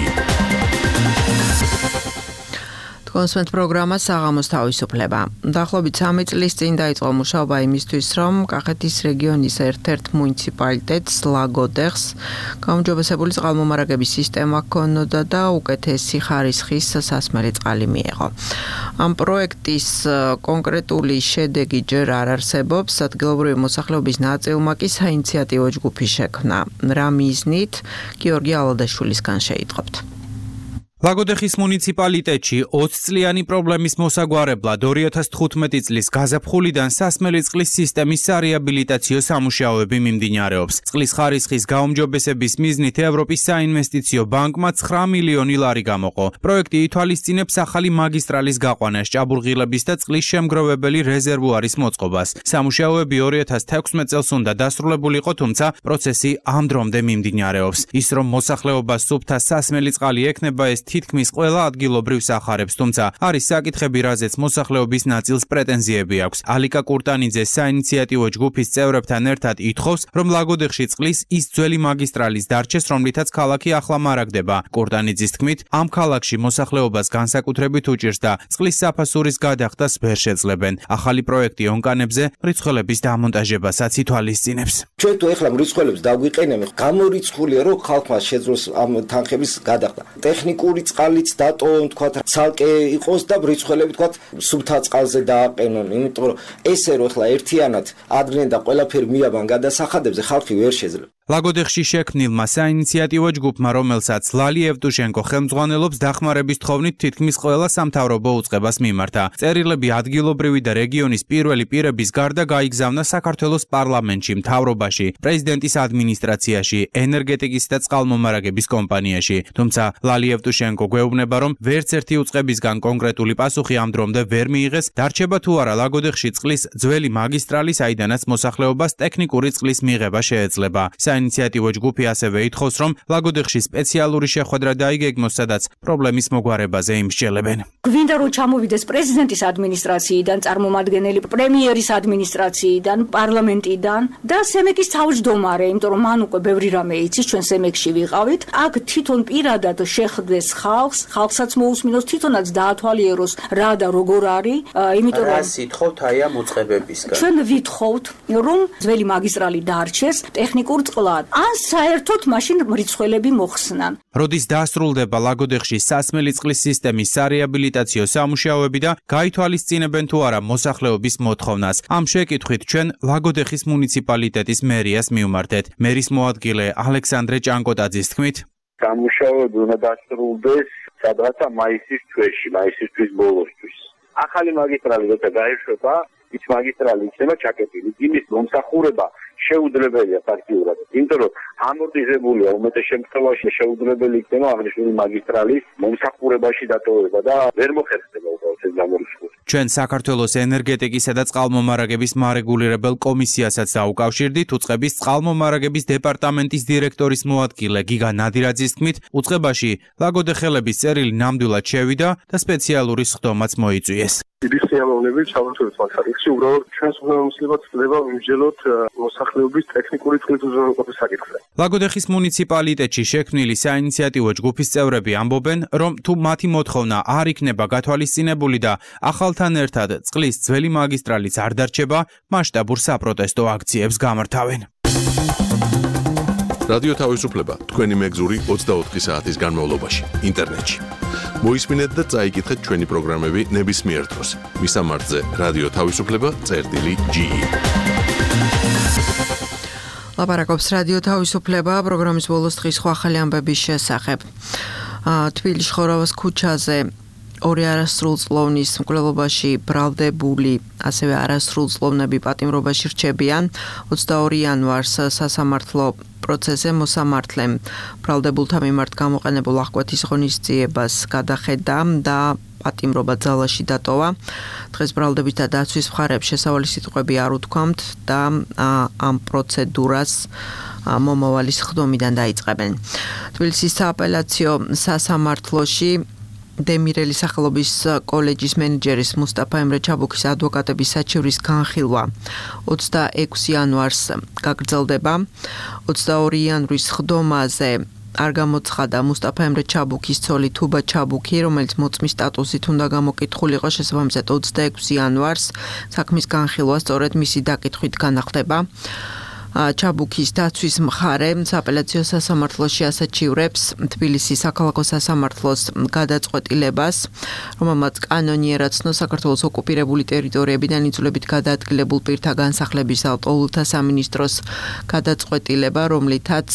კონსვენთ პროგრამა საღამოს თავისუფლება. დაახლოებით 3 წლის წინ დაიწყო მუშაობა იმისთვის, რომ კახეთის რეგიონის ერთ-ერთ მუნიციპალიტეტს ლაგოდეხს გაუმჯობესებული წყალმომარაგების სისტემა ჰქონოდა და უკეთესი ხარისხის სასმელი წყალი მიეღო. ამ პროექტის კონკრეტული შედეგი ჯერ არ არსებობს, ადგილობრივი მოსახლეობის ნაწილმა კი საინიციატივო ჯგუფი შექმნა. რა მიზნით? გიორგი ალადაშვილისგან შეიტყობთ. ლაგოდეხის მუნიციპალიტეტში 20 წლიანი პრობლემის მოსაგვარებლად 2015 წლის გაზაფხულიდან სასმელი წყლის სისტემის სარეაბილიტაციო სამუშაოები მიმდინარეობს. წყლის ხარისხის გაუმჯობესების მიზნით ევროპის საინვესტიციო ბანკმა 9 მილიონი ლარი გამოყო. პროექტი ითვალისწინებს ახალი მაგისტრალის გაყვანას, ჭაბურღილების და წყლის შემგროვებელი რეზერვუარის მოწყობას. სამუშაოები 2016 წელს უნდა დასრულებულიყო, თუმცა პროცესი ამ დრომდე მიმდინარეობს. ის რომ მოსახლეობას სუფთა სასმელი წყალი ექნება, ეს თითქმის ყველა ადგილობრივ სახარებს, თუმცა არის საკითხები, რაზეც მოსახლეობის ნაწილს პრეტენზიები აქვს. ალიკა კურტანიძე საინიციატივო ჯგუფის წევრებთან ერთად ითხოვს, რომ ლაგოდეხში წყლის ის ძველი მაგისტრალის დარჩეს, რომლითაც ქალაქი ახლა მარაგდება. კურტანიძის თქმით, ამ ქალაქში მოსახლეობას განსაკუთრებით უჭირს და წყლის საფასურის გადახდას ვერ შეძლებენ. ახალი პროექტი ონკანებზე მრიცხველების დამონტაჟებასაც ითვალისწინებს. ჩვენ თუ ეხლა მრიცხველებს დაგვიყენებთ, გამორიცხულია, რომ ხალხმა შეძლოს ამ თანხების გადახდა. ტექნიკური მინერალური წყალიც დატოვონ, თქვათ, ცალკე იყოს და ბრიცხველები თქვათ, სუფთა წყალზე დააყენონ, იმიტომ რომ ესე რო ახლა ერთიანად ადრენ და ყველაფერი მიაბან გადასახადებზე ხალხი ვერ შეძლებს. ლაგოდეხში შექმნილმა საინიციატივო ჯგუფმა, რომელსაც ლალი ევტუშენკო ხელმძღვანელობს, დახმარების თხოვნით თითქმის ყველა სამთავრობო უწყებას მიმართა. წერილები ადგილობრივი და რეგიონის პირველი პირების გარდა გაიგზავნა საქართველოს პარლამენტში, მთავრობაში, პრეზიდენტის ადმინისტრაციაში, ენერგეტიკის და წყალმომარაგების კომპანიაში. თუმცა ლალი ევტუშენკო გვეუბნება, რომ ვერც ერთი უწყებისგან კონკრეტული პასუხი ამ დრომდე ვერ მიიღეს, დარჩება თუ არა ლაგოდეხში წყლის ძველი მაგისტრალი, საიდანაც მოსახლეობას ტექნიკური წყლის მიღება შეეძლება. საინიციატივო ჯგუფი ასევე ითხოვს, რომ ლაგოდეხში სპეციალური შეხვედრა დაიგეგმოს, სადაც პრობლემის მოგვარებაზე იმსჯელებენ. გვინდა რომ ჩამოვიდეს პრეზიდენტის ადმინისტრაციიდან, წარმომადგენელი პრემიერის ადმინისტრაციიდან, პარლამენტიდან და სემეკის თავმჯდომარე, იმიტომ რომ მან უკვე ბევრი რამე იცის, ჩვენ სემეკში ვიყავით. აქ თვითონ პირადად შეხვდეს ხალხს, ხალხსაც მოусმინოს, თვითონაც დაათვალიეროს რა და როგორ არის, იმიტომ რომ რას ითხოვთ აი ამ უწყებებისგან? ჩვენ ვითხოვთ, რომ ძველი მაგისტრალი დარჩეს ტექნიკურ წყლად, ან საერთოდ მაშინ მრიცხველები მოხსნან. როდის დასრულდება ლაგოდეხში სასმელი წყლის სისტემის სარეაბილიტაციო სამუშაოები და გაითვალისწინებენ თუ არა მოსახლეობის მოთხოვნას. ამ შეკითხვით ჩვენ ლაგოდეხის მუნიციპალიტეტის მერიას მივმართეთ. მერის მოადგილე ალექსანდრე ჭანკოტაძის თქმით, სამუშაოები უნდა დასრულდეს სადღაცა მაისის თვეში, მაისის თვის ბოლოსთვის. ახალი მაგისტრალი როცა გაეშვება, ის მაგისტრალი იქნება ჩაკეტილი. იმის მომსახურება შეუძლებელია ფაქტიურად. იმიტომ რომ ამორტიზებულია უმეტეს შემთხვევაში შეუძლებელი იქნება აღნიშნული მაგისტრალის მომსახურებაში დატოვება და ვერ მოხერხდება უბრალოდ ეს გამორიცხული. ჩვენ საქართველოს ენერგეტიკისა და წყალმომარაგების მარეგულირებელ კომისიასაც დაუკავშირდით. უწყების წყალმომარაგების დეპარტამენტის დირექტორის მოადგილე გიგა ნადირაძის თქმით, უწყებაში ლაგოდეხელების წერილი ნამდვილად შევიდა და სპეციალური სხდომაც მოიწვიეს. დიდი სიამოვნებით ჩავთვალეთ მაგალითში, უბრალოდ ჩვენს უმცირესობად ხდება ვიმსჯელოთ მოსახლეობის ტექნიკური წყლის უზრუნველყოფის საკითხზე. ლაგოდეხის მუნიციპალიტეტში შექმნილი საინიციატივო ჯგუფის წევრები ამბობენ, რომ თუ მათი მოთხოვნა არ იქნება გათვალისწინებული და ახალთან ერთად წყლის ძველი მაგისტრალიც არ დარჩება, მასშტაბურ საპროტესტო აქციებს გამართავენ. რადიო თავისუფლება თქვენი მეგზური 24 საათის განმავლობაში ინტერნეტში. მოისმინეთ და წაიკითხეთ ჩვენი პროგრამები ნებისმიერ დროს. მისამართზე რადიო თავისუფლება.ge. ლაპარაკობს რადიო თავისუფლება პროგრამის ბოლოს დღის ახალი ამბების შესახებ. თბილისში ხორავას ქუჩაზე ორი არასრულწლოვნის მკვლელობაში ბრალდებული, ასევე არასრულწლოვნები პატიმრობაში რჩებიან. 22 იანვარს სასამართლო პროცესზე მოსამართლემ ბრალდებულთა მიმართ გამოყენებულ აღკვეთის ღონისძიებას გადახედა და პატიმრობა ძალაში დატოვა. დღეს ბრალდების და დაცვის მხარებს შესავალი სიტყვები არ უთქვამთ და ამ პროცედურას მომავალი სხდომიდან დაიწყებენ. თბილისის სააპელაციო სასამართლოში დემირელის სახელობის კოლეჯის მენეჯერის მუსტაფა ემრე ჩაბუქის ადვოკატების საჩივრის განხილვა 26 იანვარს გაგრძელდება. 22 იანვრის სხდომაზე არ გამოცხადა მუსტაფა ემრე ჩაბუქის ცოლი თუბა ჩაბუქი, რომელიც მოწმის სტატუსით უნდა გამოკითხულიყო. შესაბამისად 26 იანვარს საქმის განხილვა სწორედ მისი დაკითხვით განახდება. ჩაბუქის დაცვის მხარე სააპელაციო სასამართლოში ასაჩივრებს თბილისის საქალაქო სასამართლოს გადაწყვეტილებას, რომელმაც კანონიერად ცნო საქართველოს ოკუპირებული ტერიტორიებიდან იძულებით გადაადგილებულ პირთა განსახლების ალტოულთა სამინისტროს გადაწყვეტილება, რომლითაც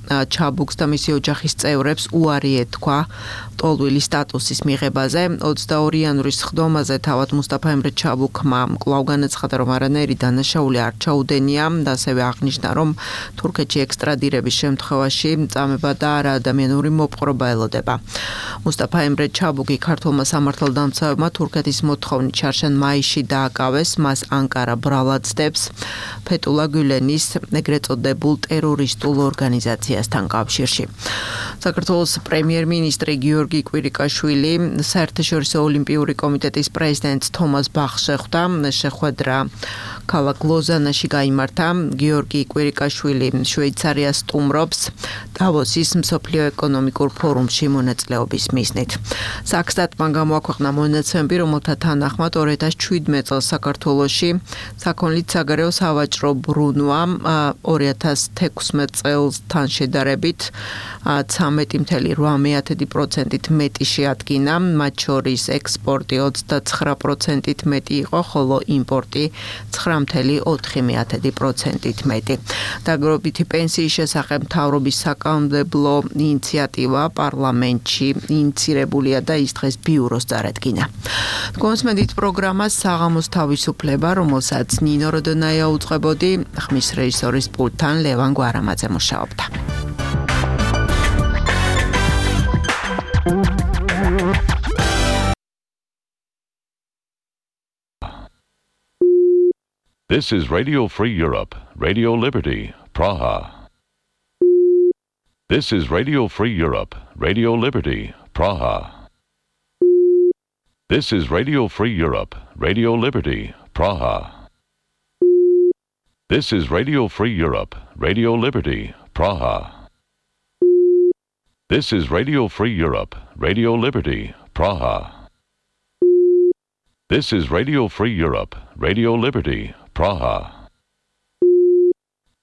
ჩაბუქს და მისი ოჯახის წევრებს უარი ეთქვა ტოლვილის სტატუსის მიღებაზე. 22 იანვრის სხდომაზე თავად მუსტაფა ემრე ჩაბუქმა კვლავ განაცხადა, რომ არანაირი დანაშაული არ ჩაუდენია და ასევე აღნიშნა, რომ თურქეთში ექსტრადირების შემთხვევაში წამება და არაადამიანური მოპყრობა ელოდება. მუსტაფა ემრე ჩაბუქი ქართულმა სამართალდამცავებმა თურქეთის მოთხოვნით შარშან მაისში დააკავეს, მას ანკარა ბრალად ცდებს ფეტულა გულენის ეგრეთ წოდებულ ტერორისტულ ორგანიზაციასთან კავშირში. საქართველოს პრემიერ-მინისტრი გიორგი კვირიკაშვილი საერთაშორისო ოლიმპიური კომიტეტის პრეზიდენტ თომას ბახს შეხვდა. შეხვედრა ქალაქ ლოზანაში გაიმართა. გიორგი კვირიკაშვილი შვეიცარიას სტუმრობს დავოსის მსოფლიო ეკონომიკურ ფორუმში მონაწილეობის მიზნით. საქსტატმა გამოაქვეყნა მონაცემები, რომელთა თანახმად 2017 წელს საქართველოში საქონლით საგარეო სავაჭრო ბრუნვა 2016 წელსთან შედარებით 13.8%-ით მეტი შეადგინა, მათ შორის ექსპორტი 29%-ით მეტი იყო, ხოლო იმპორტი 9.4%-ით მეტი. დაგროვებითი პენსიის შესახებ მთავრობის საკანონმდებლო ინიციატივა პარლამენტში ინიცირებულია და ის დღეს ბიუროს წარადგინა. კონსმედით პროგრამას საღამოს თავისუფლება, რომელსაც ნინო როდონაია უწყებოდი, ხმის რეჟისორის პულტთან ლევან გვარამაძე მუშაობდა. This is Radio Free Europe, Radio Liberty, Praha. This is Radio Free Europe, Radio Liberty, Praha. This is Radio Free Europe, Radio Liberty, Praha. This is Radio Free Europe, Radio Liberty, Praha. This is Radio Free Europe, Radio Liberty, Praha. This is Radio Free Europe, Radio Liberty, Praha.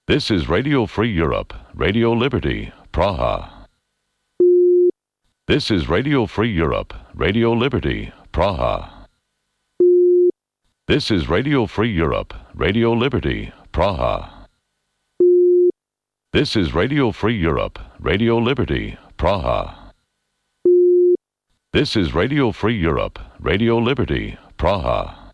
This is Radio Free Europe, Radio Liberty, Praha. This is Radio Free Europe, Radio Liberty, Praha. This is Radio Free Europe, Radio Liberty, Praha. This is Radio Free Europe, Radio Liberty, Praha. This is Radio Free Europe, Radio Liberty, Praha.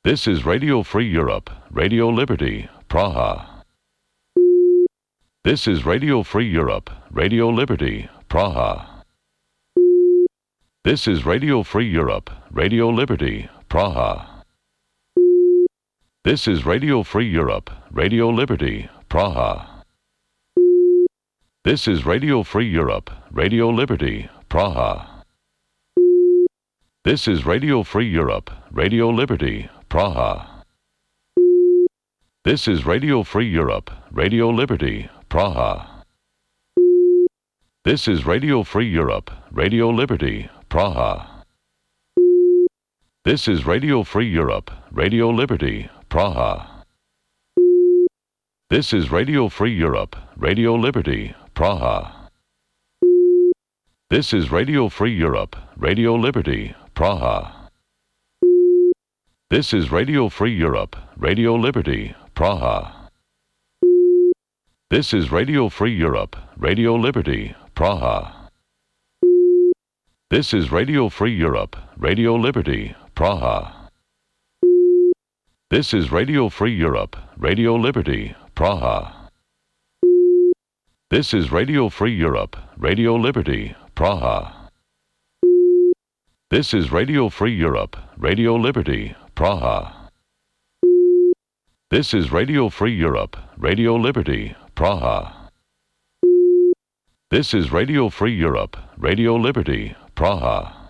This is Radio Free Europe, Radio Liberty, Praha. This is Radio Free Europe, Radio Liberty, Praha. This is Radio Free Europe, Radio Liberty, Praha. This is Radio Free Europe, Radio Liberty, Praha. This is Radio Free Europe, Radio Liberty, Praha. This is Radio Free Europe, Radio Liberty, Praha. This is Radio Free Europe, Radio Liberty, Praha. This is Radio Free Europe, Radio Liberty, Praha. This is Radio Free Europe, Radio Liberty, Praha. This is Radio Free Europe, Radio Liberty, Praha. This is Radio Free Europe, Radio Liberty, Praha. This is Radio Free Europe, Radio Liberty, Praha. This is Radio Free Europe, Radio Liberty, Praha. This is Radio Free Europe, Radio Liberty, Praha. This is Radio Free Europe, Radio Liberty, Praha. This is Radio Free Europe, Radio Liberty, Praha. This is Radio Free Europe, Radio Liberty, Praha. This is Radio Free Europe, Radio Liberty, Praha. This is Radio Free Europe, Radio Liberty, Praha.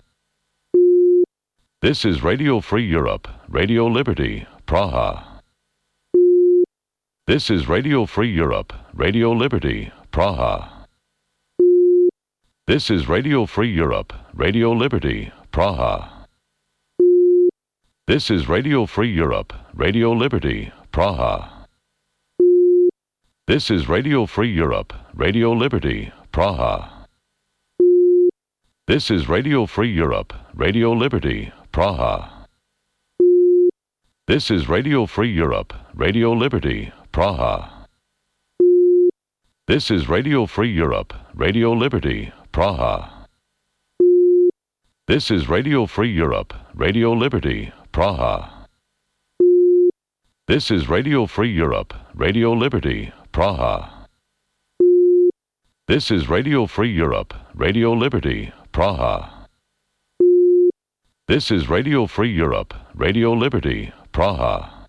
This is Radio Free Europe, Radio Liberty, Praha. This is Radio Free Europe, Radio Liberty, Praha. This is Radio Free Europe, Radio Liberty, Praha. This is Radio Free Europe, Radio Liberty, Praha. This is Radio Free Europe, Radio Liberty, Praha. This is Radio Free Europe, Radio Liberty, Praha. This is Radio Free Europe, Radio Liberty, Praha. This is Radio Free Europe, Radio Liberty, Praha. This is Radio Free Europe, Radio Liberty, Praha. This is Radio Free Europe, Radio Liberty, Praha. This is Radio Free Europe, Radio Liberty, Praha. This is Radio Free Europe, Radio Liberty, Praha.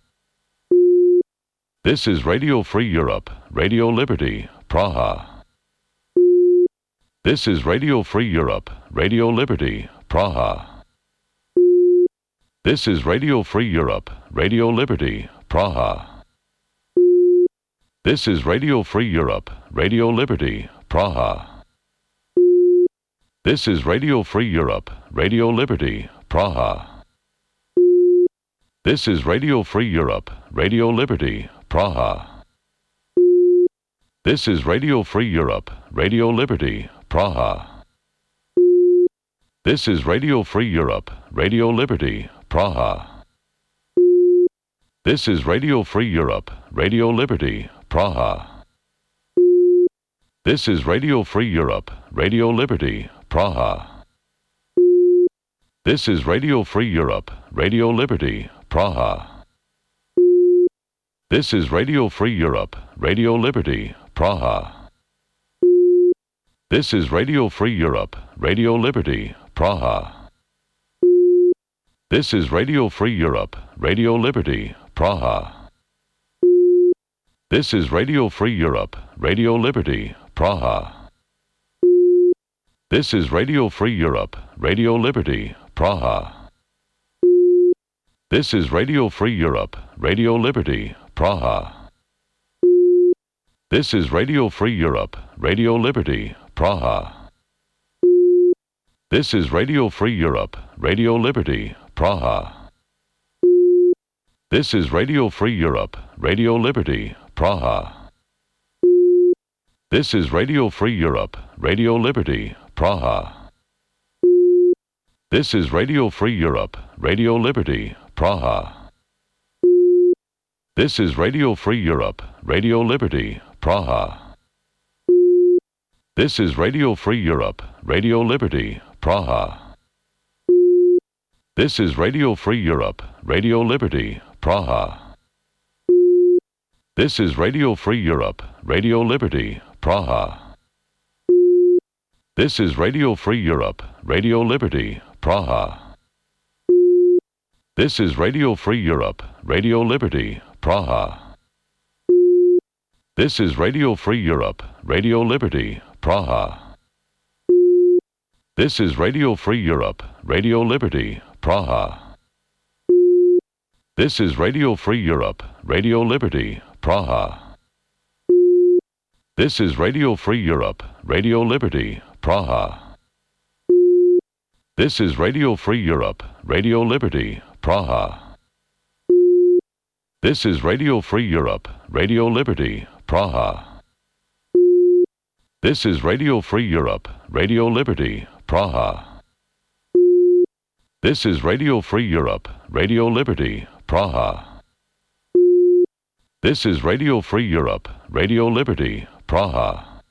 This is Radio Free Europe, Radio Liberty, Praha. This is Radio Free Europe, Radio Liberty, Praha. This is Radio Free Europe, Radio Liberty, Praha. This is Radio Free Europe, Radio Liberty, Praha. This is Radio Free Europe, Radio Liberty, Praha. This is Radio Free Europe, Radio Liberty, Praha. This is Radio Free Europe, Radio Liberty, Praha. This is Radio Free Europe, Radio Liberty, Praha. This is Radio Free Europe, Radio Liberty, Praha. This is Radio Free Europe, Radio Liberty, Praha. This is Radio Free Europe, Radio Liberty, Praha. This is Radio Free Europe, Radio Liberty, Praha. This is Radio Free Europe, Radio Liberty, Praha. This is Radio Free Europe, Radio Liberty, Praha. This is Radio Free Europe, Radio Liberty, Praha. This is Radio Free Europe, Radio Liberty, Praha. This is Radio Free Europe, Radio Liberty, Praha. This is Radio Free Europe, Radio Liberty, Praha. This is Radio Free Europe, Radio Liberty, Praha. This is Radio Free Europe, Radio Liberty, Praha. This is Radio Free Europe, Radio Liberty, Praha. This is Radio Free Europe, Radio Liberty, Praha. This is Radio Free Europe, Radio Liberty, Praha. This is Radio Free Europe, Radio Liberty, Praha. This is Radio Free Europe, Radio Liberty, Praha. This is Radio Free Europe, Radio Liberty, Praha. This is Radio Free Europe, Radio Liberty, Praha. This is Radio Free Europe, Radio Liberty, Praha. This is Radio Free Europe, Radio Liberty, Praha. This is Radio Free Europe, Radio Liberty, Praha. This is Radio Free Europe, Radio Liberty, Praha. This is Radio Free Europe, Radio Liberty, Praha. This is Radio Free Europe, Radio Liberty, Praha. This is Radio Free Europe, Radio Liberty, Praha. This is Radio Free Europe, Radio Liberty, Praha. This is Radio Free Europe, Radio Liberty, Praha. This is Radio Free Europe, Radio Liberty, Praha.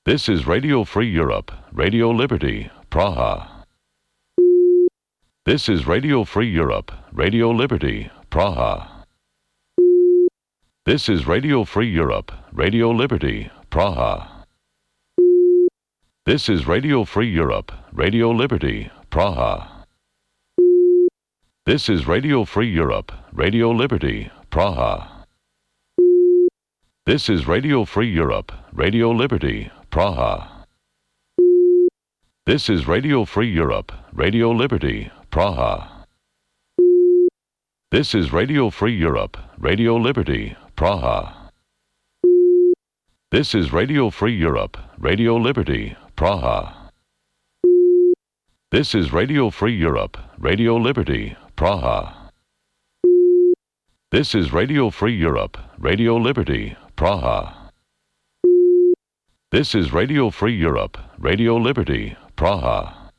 This is Radio Free Europe, Radio Liberty, Praha. This is Radio Free Europe, Radio Liberty, Praha. This is Radio Free Europe, Radio Liberty, Praha. This is Radio Free Europe, Radio Liberty, Praha. This is Radio Free Europe, Radio Liberty, Praha. This is Radio Free Europe, Radio Liberty, Praha. This is Radio Free Europe, Radio Liberty, Praha. This is Radio Free Europe, Radio Liberty, Praha. This is Radio Free Europe, Radio Liberty, Praha. This is Radio Free Europe, Radio Liberty, Praha. This is Radio Free Europe, Radio Liberty, Praha. This is Radio Free Europe, Radio Liberty, Praha.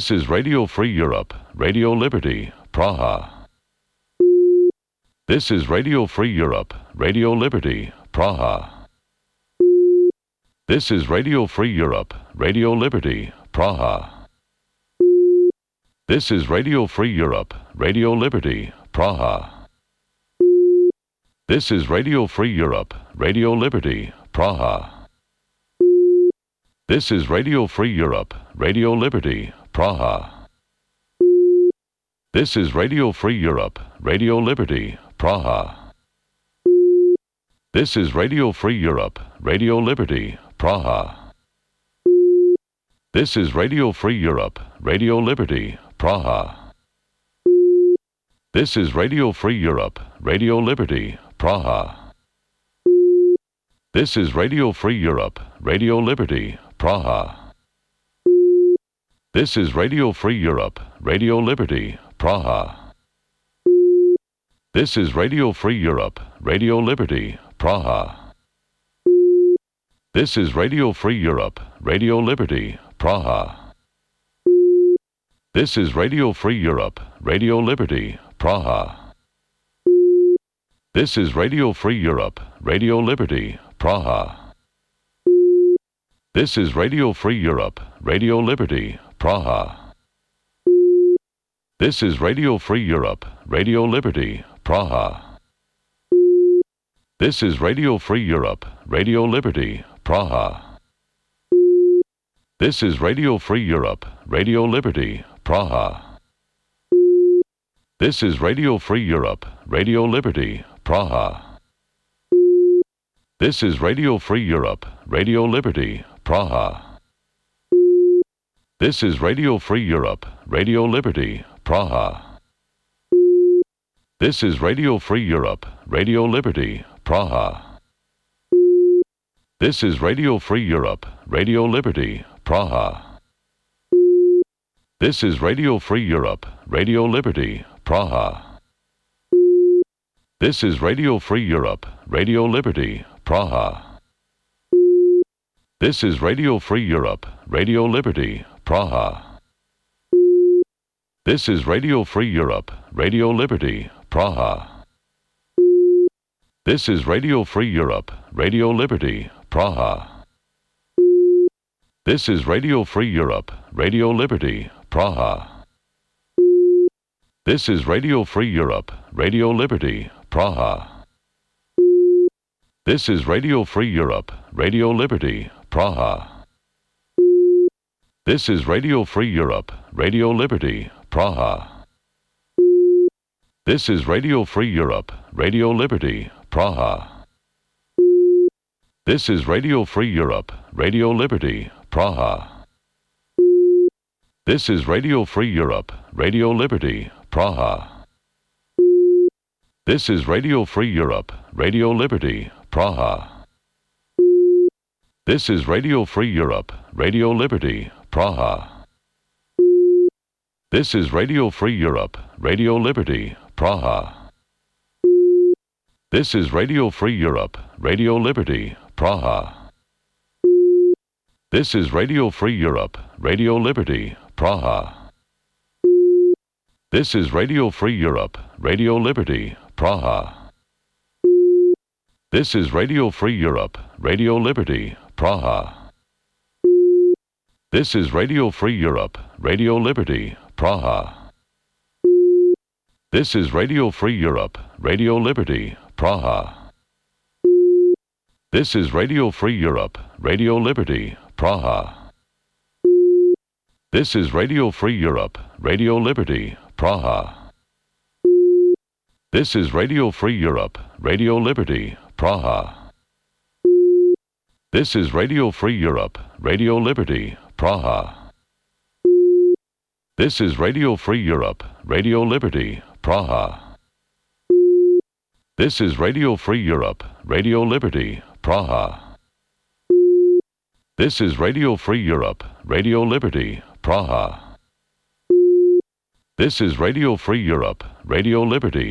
This is Radio Free Europe, Radio Liberty, Praha. This is Radio Free Europe, Radio Liberty, Praha. This is Radio Free Europe, Radio Liberty, Praha. This is Radio Free Europe, Radio Liberty, Praha. This is Radio Free Europe, Radio Liberty, Praha. This is Radio Free Europe, Radio Liberty, Praha. This is Radio Free Europe, Radio Liberty, Praha. This is Radio Free Europe, Radio Liberty, Praha. This is Radio Free Europe, Radio Liberty, Praha. This is Radio Free Europe, Radio Liberty, Praha. This is Radio Free Europe, Radio Liberty, Praha. This is Radio Free Europe, Radio Liberty, Praha. This is Radio Free Europe, Radio Liberty, Praha. This is Radio Free Europe, Radio Liberty, Praha. This is Radio Free Europe, Radio Liberty, Praha. This is Radio Free Europe, Radio Liberty, Praha. This is Radio Free Europe, Radio Liberty, Praha. This is Radio Free Europe, Radio Liberty, Praha. This is Radio Free Europe, Radio Liberty, Praha. This is Radio Free Europe, Radio Liberty, Praha. This is Radio Free Europe, Radio Liberty, Praha. This is Radio Free Europe, Radio Liberty, Praha. This is Radio Free Europe, Radio Liberty, Praha. This is Radio Free Europe, Radio Liberty, Praha. This is Radio Free Europe, Radio Liberty, Praha. This is Radio Free Europe, Radio Liberty, Praha. This is Radio Free Europe, Radio Liberty, Praha. This is Radio Free Europe, Radio Liberty, Praha. This is Radio Free Europe, Radio Liberty, Praha. This is Radio Free Europe, Radio Liberty, Praha. This is Radio Free Europe, Radio Liberty, Praha. This is Radio Free Europe, Radio Liberty, Praha. This is Radio Free Europe, Radio Liberty, Praha. This is Radio Free Europe, Radio Liberty, Praha. This is Radio Free Europe, Radio Liberty, Praha. This is Radio Free Europe, Radio Liberty, Praha. This is Radio Free Europe, Radio Liberty, Praha. This is Radio Free Europe, Radio Liberty, Praha. This is Radio Free Europe, Radio Liberty, Praha. This is Radio Free Europe, Radio Liberty, Praha. This is Radio Free Europe, Radio Liberty, Praha. This is Radio Free Europe, Radio Liberty, Praha. This is Radio Free Europe, Radio Liberty, Praha. This is Radio Free Europe, Radio Liberty, Praha. This is Radio Free Europe, Radio Liberty, Praha. This is Radio Free Europe, Radio Liberty, Praha. This is Radio Free Europe, Radio Liberty, Praha. This is Radio Free Europe, Radio Liberty, Praha. This is Radio Free Europe, Radio Liberty, Praha. This is Radio Free Europe, Radio Liberty, Praha. This is Radio Free Europe, Radio Liberty, Praha. This is Radio Free Europe, Radio Liberty, Praha. This is Radio Free Europe, Radio Liberty, Praha. This is Radio Free Europe, Radio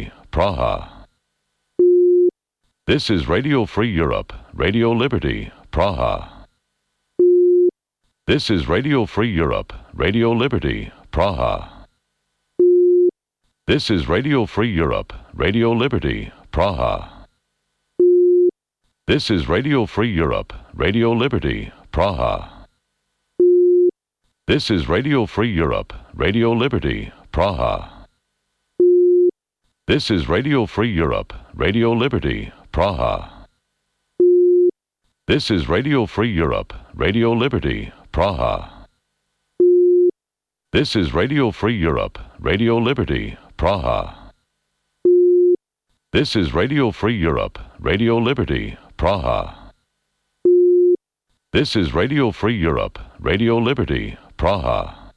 Liberty, Praha. This is Radio Free Europe, Radio Liberty, Praha. This is Radio Free Europe, Radio Liberty, Praha. This is Radio Free Europe, Radio Liberty, Praha. This is Radio Free Europe, Radio Liberty, Praha. This is Radio Free Europe, Radio Liberty, Praha. This is Radio Free Europe, Radio Liberty, Praha. This is Radio Free Europe, Radio Liberty, Praha. This is Radio Free Europe, Radio Liberty, Praha. This is Radio Free Europe, Radio Liberty, Praha. This is Radio Free Europe, Radio Liberty, Praha.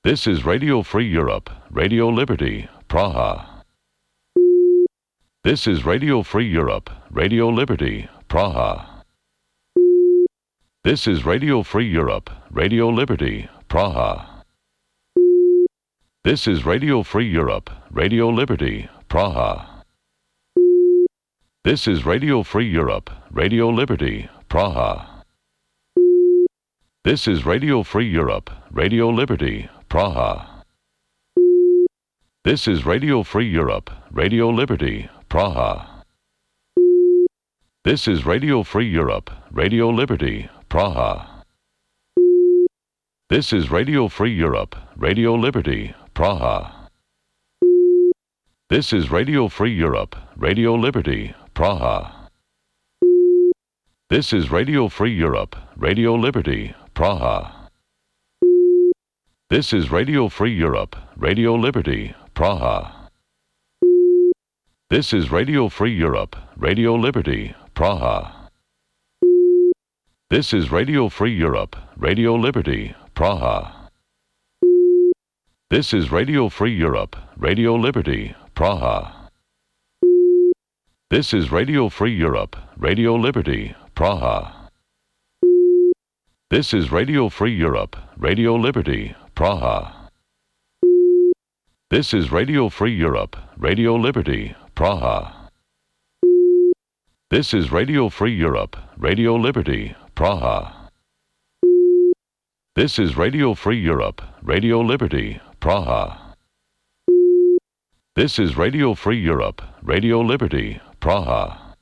This is Radio Free Europe, Radio Liberty, Praha. This is Radio Free Europe, Radio Liberty, Praha. This is Radio Free Europe, Radio Liberty, Praha. This is Radio Free Europe, Radio Liberty, Praha. This is Radio Free Europe, Radio Liberty, Praha. This is Radio Free Europe, Radio Liberty, Praha. This is Radio Free Europe, Radio Liberty, Praha. This is Radio Free Europe, Radio Liberty, Praha. This is Radio Free Europe, Radio Liberty, Praha. This is Radio Free Europe, Radio Liberty, Praha. This is Radio Free Europe, Radio Liberty, Praha. This is Radio Free Europe, Radio Liberty, Praha. This is Radio Free Europe, Radio Liberty, Praha. This is Radio Free Europe, Radio Liberty, Praha. This is Radio Free Europe, Radio Liberty, Praha. This is Radio Free Europe, Radio Liberty, Praha. This is Radio Free Europe, Radio Liberty, Praha. This is Radio Free Europe, Radio Liberty, Praha. This is Radio Free Europe, Radio Liberty, Praha. This is Radio Free Europe, Radio Liberty, Praha. This is Radio Free Europe, Radio Liberty, Praha.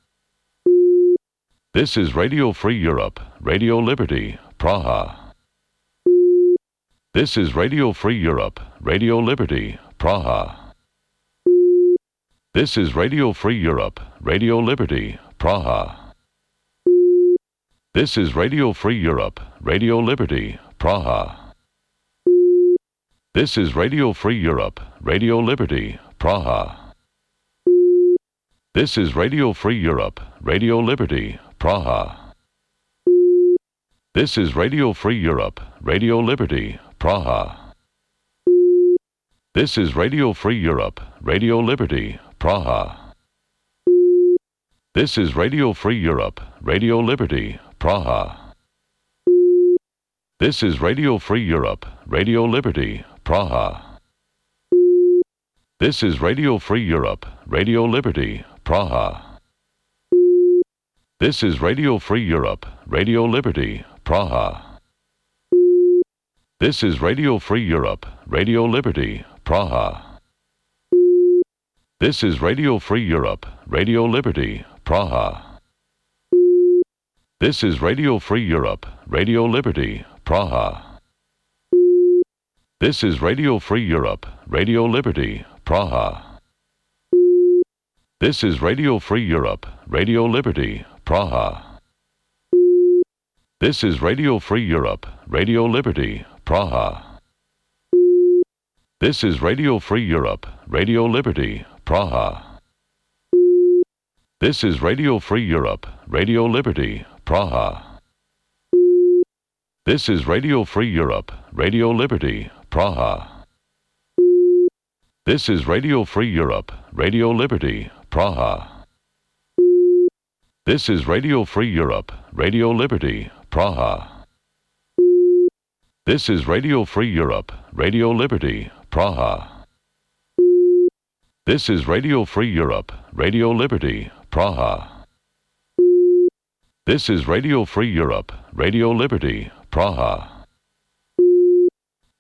This is Radio Free Europe, Radio Liberty, Praha. This is Radio Free Europe, Radio Liberty, Praha. This is Radio Free Europe, Radio Liberty, Praha. This is Radio Free Europe, Radio Liberty, Praha. This is Radio Free Europe, Radio Liberty, Praha. This is Radio Free Europe, Radio Liberty, Praha. This is Radio Free Europe, Radio Liberty, Praha. This is Radio Free Europe, Radio Liberty, Praha. This is Radio Free Europe, Radio Liberty, Praha. This is Radio Free Europe, Radio Liberty, Praha. This is Radio Free Europe, Radio Liberty, Praha. This is Radio Free Europe, Radio Liberty, Praha. This is Radio Free Europe, Radio Liberty, Praha. This is Radio Free Europe, Radio Liberty, Praha. This is Radio Free Europe, Radio Liberty, Praha. This is Radio Free Europe, Radio Liberty, Praha. This is Radio Free Europe, Radio Liberty, Praha. This is Radio Free Europe, Radio Liberty, Praha. This is Radio Free Europe, Radio Liberty, Praha. This is Radio Free Europe, Radio Liberty, Praha. This is Radio Free Europe, Radio Liberty, Praha. This is Radio Free Europe, Radio Liberty, Praha. This is Radio Free Europe, Radio Liberty, Praha. This is Radio Free Europe, Radio Liberty, Praha. This is Radio Free Europe, Radio Liberty, Praha. This is Radio Free Europe, Radio Liberty, Praha.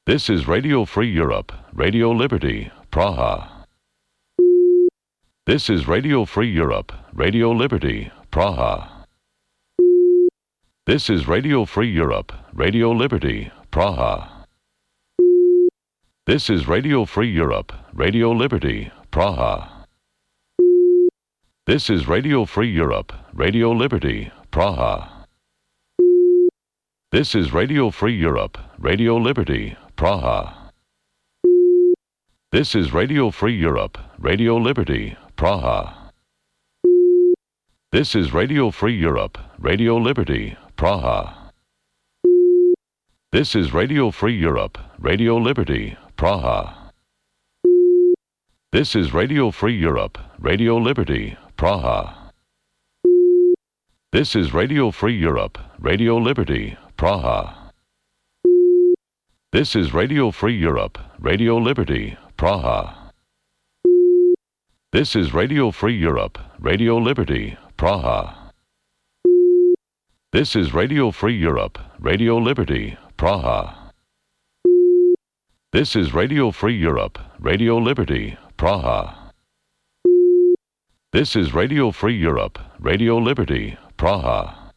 This is Radio Free Europe, Radio Liberty, Praha. This is Radio Free Europe, Radio Liberty, Praha. This is Radio Free Europe, Radio Liberty, Praha. This is Radio Free Europe, Radio Liberty, Praha. This is Radio Free Europe, Radio Liberty, Praha. This is Radio Free Europe, Radio Liberty, Praha. This is Radio Free Europe, Radio Liberty, Praha. This is Radio Free Europe, Radio Liberty, Praha. This is Radio Free Europe, Radio Liberty, Praha. This is Radio Free Europe, Radio Liberty, Praha. This is Radio Free Europe, Radio Liberty, Praha. This is Radio Free Europe, Radio Liberty, Praha. This is Radio Free Europe, Radio Liberty, Praha. This is Radio Free Europe, Radio Liberty, Praha. This is Radio Free Europe, Radio Liberty, Praha. This is Radio Free Europe, Radio Liberty, Praha.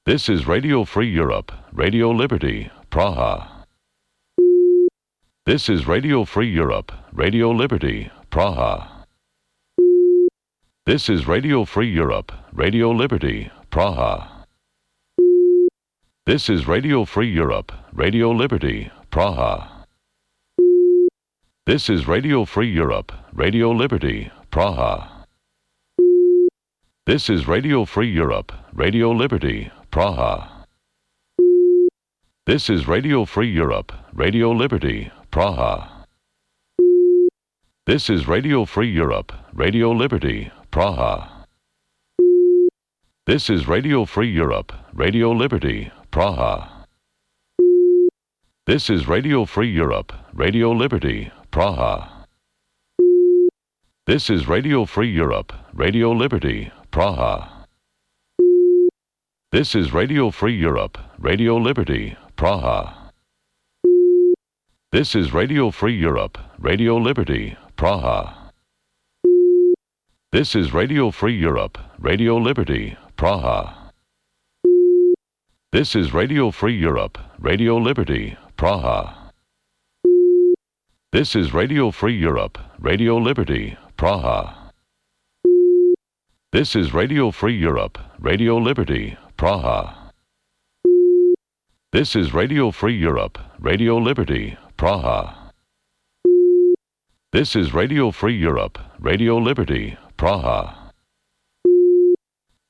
This is Radio Free Europe, Radio Liberty, Praha. This is Radio Free Europe, Radio Liberty, Praha. This is Radio Free Europe, Radio Liberty, Praha. This is Radio Free Europe, Radio Liberty, Praha. This is Radio Free Europe, Radio Liberty, Praha. This is Radio Free Europe, Radio Liberty, Praha. This is Radio Free Europe, Radio Liberty, Praha. This is Radio Free Europe, Radio Liberty, Praha. This is Radio Free Europe, Radio Liberty, Praha. This is Radio Free Europe, Radio Liberty, Praha. This is Radio Free Europe, Radio Liberty, Praha. This is Radio Free Europe, Radio Liberty, Praha. This is Radio Free Europe, Radio Liberty, Praha. This is Radio Free Europe, Radio Liberty, Praha. This is Radio Free Europe, Radio Liberty, Praha. This is Radio Free Europe, Radio Liberty, Praha. This is Radio Free Europe, Radio Liberty, Praha. This is Radio Free Europe, Radio Liberty, Praha. This is Radio Free Europe, Radio Liberty, Praha.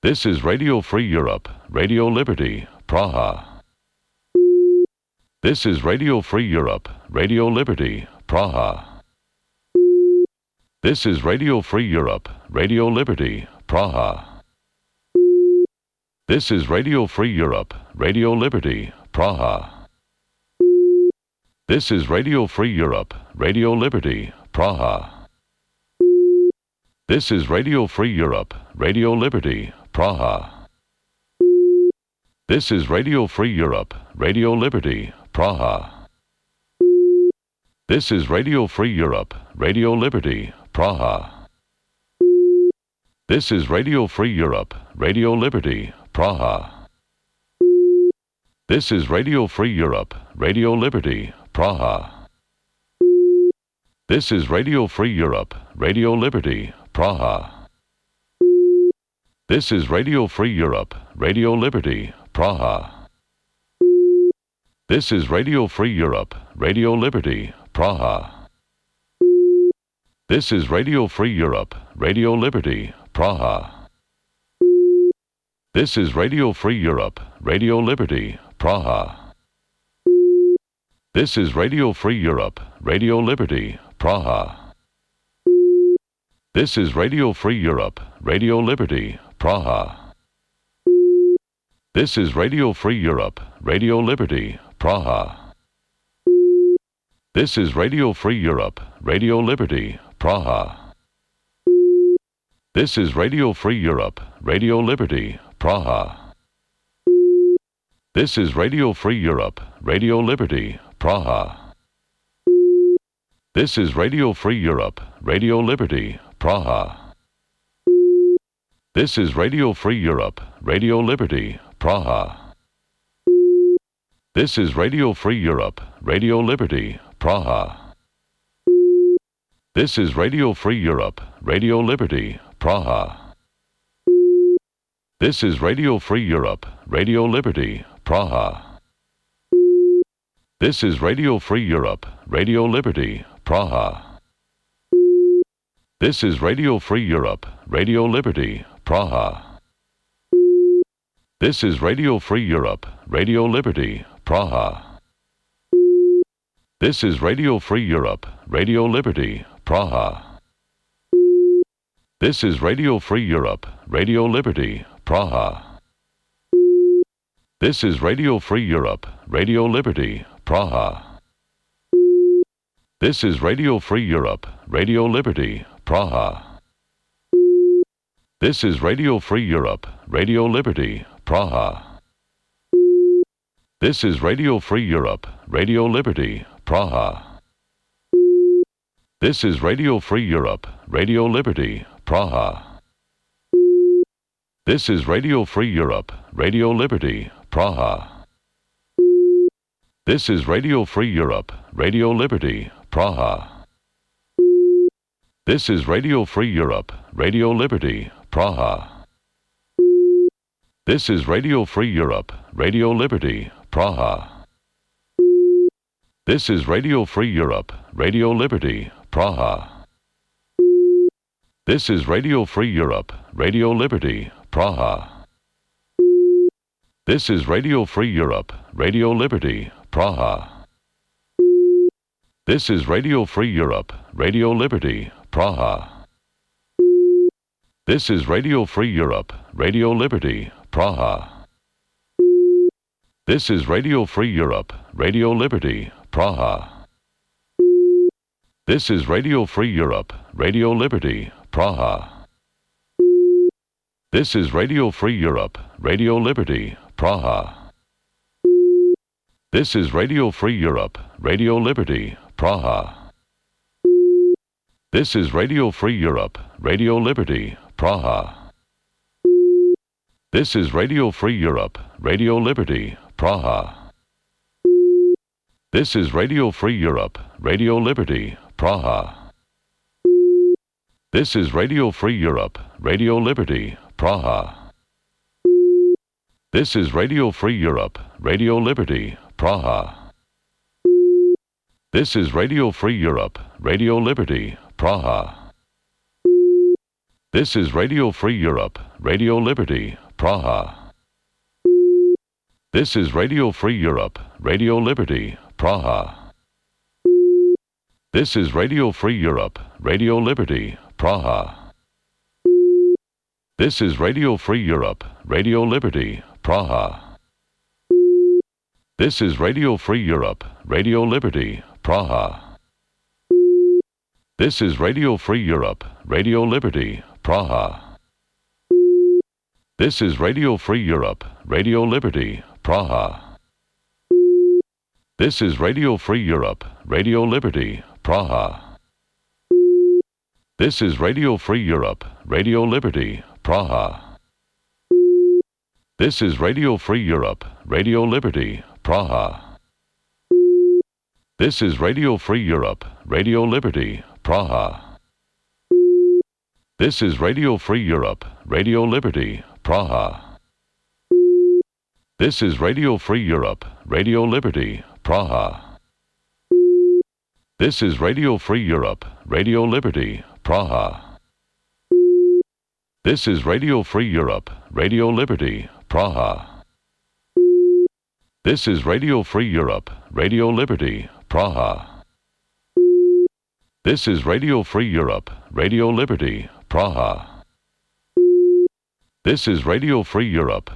This is Radio Free Europe, Radio Liberty, Praha. This is Radio Free Europe, Radio Liberty, Praha. This is Radio Free Europe, Radio Liberty, Praha. This is Radio Free Europe, Radio Liberty, Praha. This is Radio Free Europe, Radio Liberty, Praha. This is Radio Free Europe, Radio Liberty, Praha. This is Radio Free Europe, Radio Liberty, Praha. This is Radio Free Europe, Radio Liberty, Praha. This is Radio Free Europe, Radio Liberty, Praha. This is Radio Free Europe, Radio Liberty, Praha. This is Radio Free Europe, Radio Liberty, Praha. This is Radio Free Europe, Radio Liberty, Praha. This is Radio Free Europe, Radio Liberty, Praha. This is Radio Free Europe, Radio Liberty, Praha. This is Radio Free Europe, Radio Liberty, Praha. This is Radio Free Europe, Radio Liberty, Praha. This is Radio Free Europe, Radio Liberty, Praha. This is Radio Free Europe, Radio Liberty, Praha. This is Radio Free Europe, Radio Liberty, Praha. This is Radio Free Europe, Radio Liberty, Praha. This is Radio Free Europe, Radio Liberty, Praha. This is Radio Free Europe, Radio Liberty, Praha. This is Radio Free Europe, Radio Liberty, Praha. This is Radio Free Europe, Radio Liberty, Praha. This is Radio Free Europe, Radio Liberty, Praha. This is Radio Free Europe, Radio Liberty, Praha. This is Radio Free Europe, Radio Liberty, Praha. This is Radio Free Europe, Radio Liberty, Praha. This is Radio Free Europe, Radio Liberty, Praha. This is Radio Free Europe, Radio Liberty, Praha. This is Radio Free Europe, Radio Liberty, Praha. This is Radio Free Europe, Radio Liberty, Praha. This is Radio Free Europe, Radio Liberty, Praha. This is Radio Free Europe, Radio Liberty, Praha. This is Radio Free Europe, Radio Liberty, Praha. This is Radio Free Europe, Radio Liberty, Praha. This is Radio Free Europe, Radio Liberty, Praha. This is Radio Free Europe, Radio Liberty, Praha. This is Radio Free Europe, Radio Liberty, Praha. This is Radio Free Europe, Radio Liberty, Praha. This is Radio Free Europe, Radio Liberty, Praha. This is Radio Free Europe, Radio Liberty, Praha. This is Radio Free Europe, Radio Liberty, Praha. This is Radio Free Europe, Radio Liberty, Praha. This is Radio Free Europe, Radio Liberty, Praha. This is Radio Free Europe, Radio Liberty, Praha. This is Radio Free Europe, Radio Liberty, Praha. This is Radio Free Europe, Radio Liberty, Praha. This is Radio Free Europe, Radio Liberty, Praha. This is Radio Free Europe, Radio Liberty, Praha. This is Radio Free Europe, Radio Liberty, Praha. This is Radio Free Europe, Radio Liberty, Praha. This is Radio Free Europe, Radio Liberty, Praha. This is Radio Free Europe, Radio Liberty, Praha. This is Radio Free Europe, Radio Liberty, Praha. This is Radio Free Europe, Radio Liberty, Praha. This is Radio Free Europe, Radio Liberty, Praha. This is Radio Free Europe, Radio Liberty, Praha. This is Radio Free Europe, Radio Liberty, Praha. This is Radio Free Europe, Radio Liberty, Praha. This is Radio Free Europe, Radio Liberty, Praha. This is Radio Free Europe, Radio Liberty, Praha. This is Radio Free Europe, Radio Liberty, Praha. This is Radio Free Europe, Radio Liberty, Praha. This is Radio Free Europe, Radio Liberty, Praha. This is Radio Free Europe, Radio Liberty, Praha. This is Radio Free Europe, Radio Liberty, Praha. This is Radio Free Europe, Radio Liberty, Praha. This is Radio Free Europe, Radio Liberty, Praha. This is Radio Free Europe, Radio Liberty, Praha. This is Radio Free Europe, Radio Liberty, Praha. This is Radio Free Europe, Radio Liberty, Praha. This is Radio Free Europe,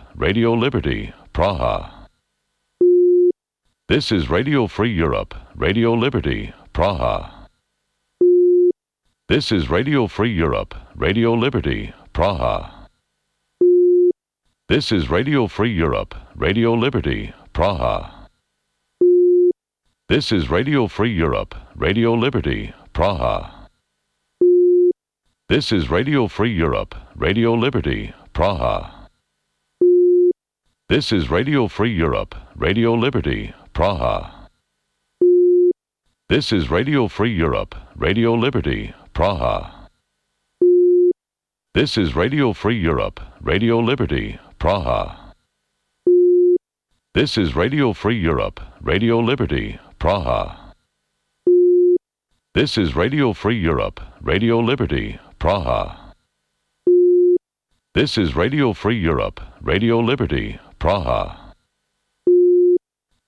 Radio Liberty, Praha. This is Radio Free Europe, Radio Liberty, Praha. This is Radio Free Europe, Radio Liberty, Praha. This is Radio Free Europe, Radio Liberty, Praha. This is Radio Free Europe, Radio Liberty, Praha. This is Radio Free Europe, Radio Liberty, Praha. This is Radio Free Europe, Radio Liberty, Praha. This is Radio Free Europe, Radio Liberty, Praha. This is Radio Free Europe, Radio Liberty, Praha. This is Radio Free Europe, Radio Liberty, Praha. This is Radio Free Europe, Radio Liberty, Praha. This is Radio Free Europe, Radio Liberty, Praha.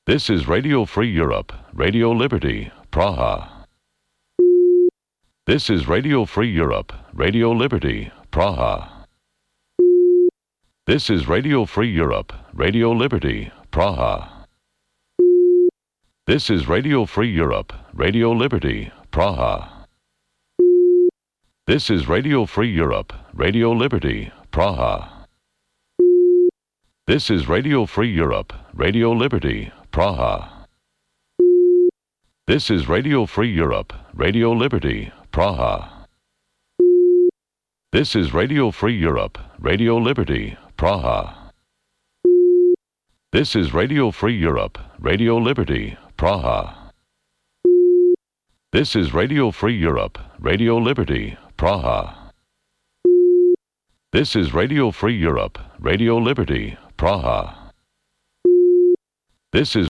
This is Radio Free Europe, Radio Liberty, Praha. This is Radio Free Europe, Radio Liberty, Praha. This is Radio Free Europe, Radio Liberty, Praha. This is Radio Free Europe, Radio Liberty, Praha. This is Radio Free Europe, Radio Liberty, Praha. This is Radio Free Europe, Radio Liberty, Praha. This is Radio Free Europe, Radio Liberty, Praha. This is Radio Free Europe, Radio Liberty, Praha. This is Radio Free Europe, Radio Liberty, Praha. This is Radio Free Europe, Radio Liberty, Praha. This is Radio Free Europe, Radio Liberty, Praha. This is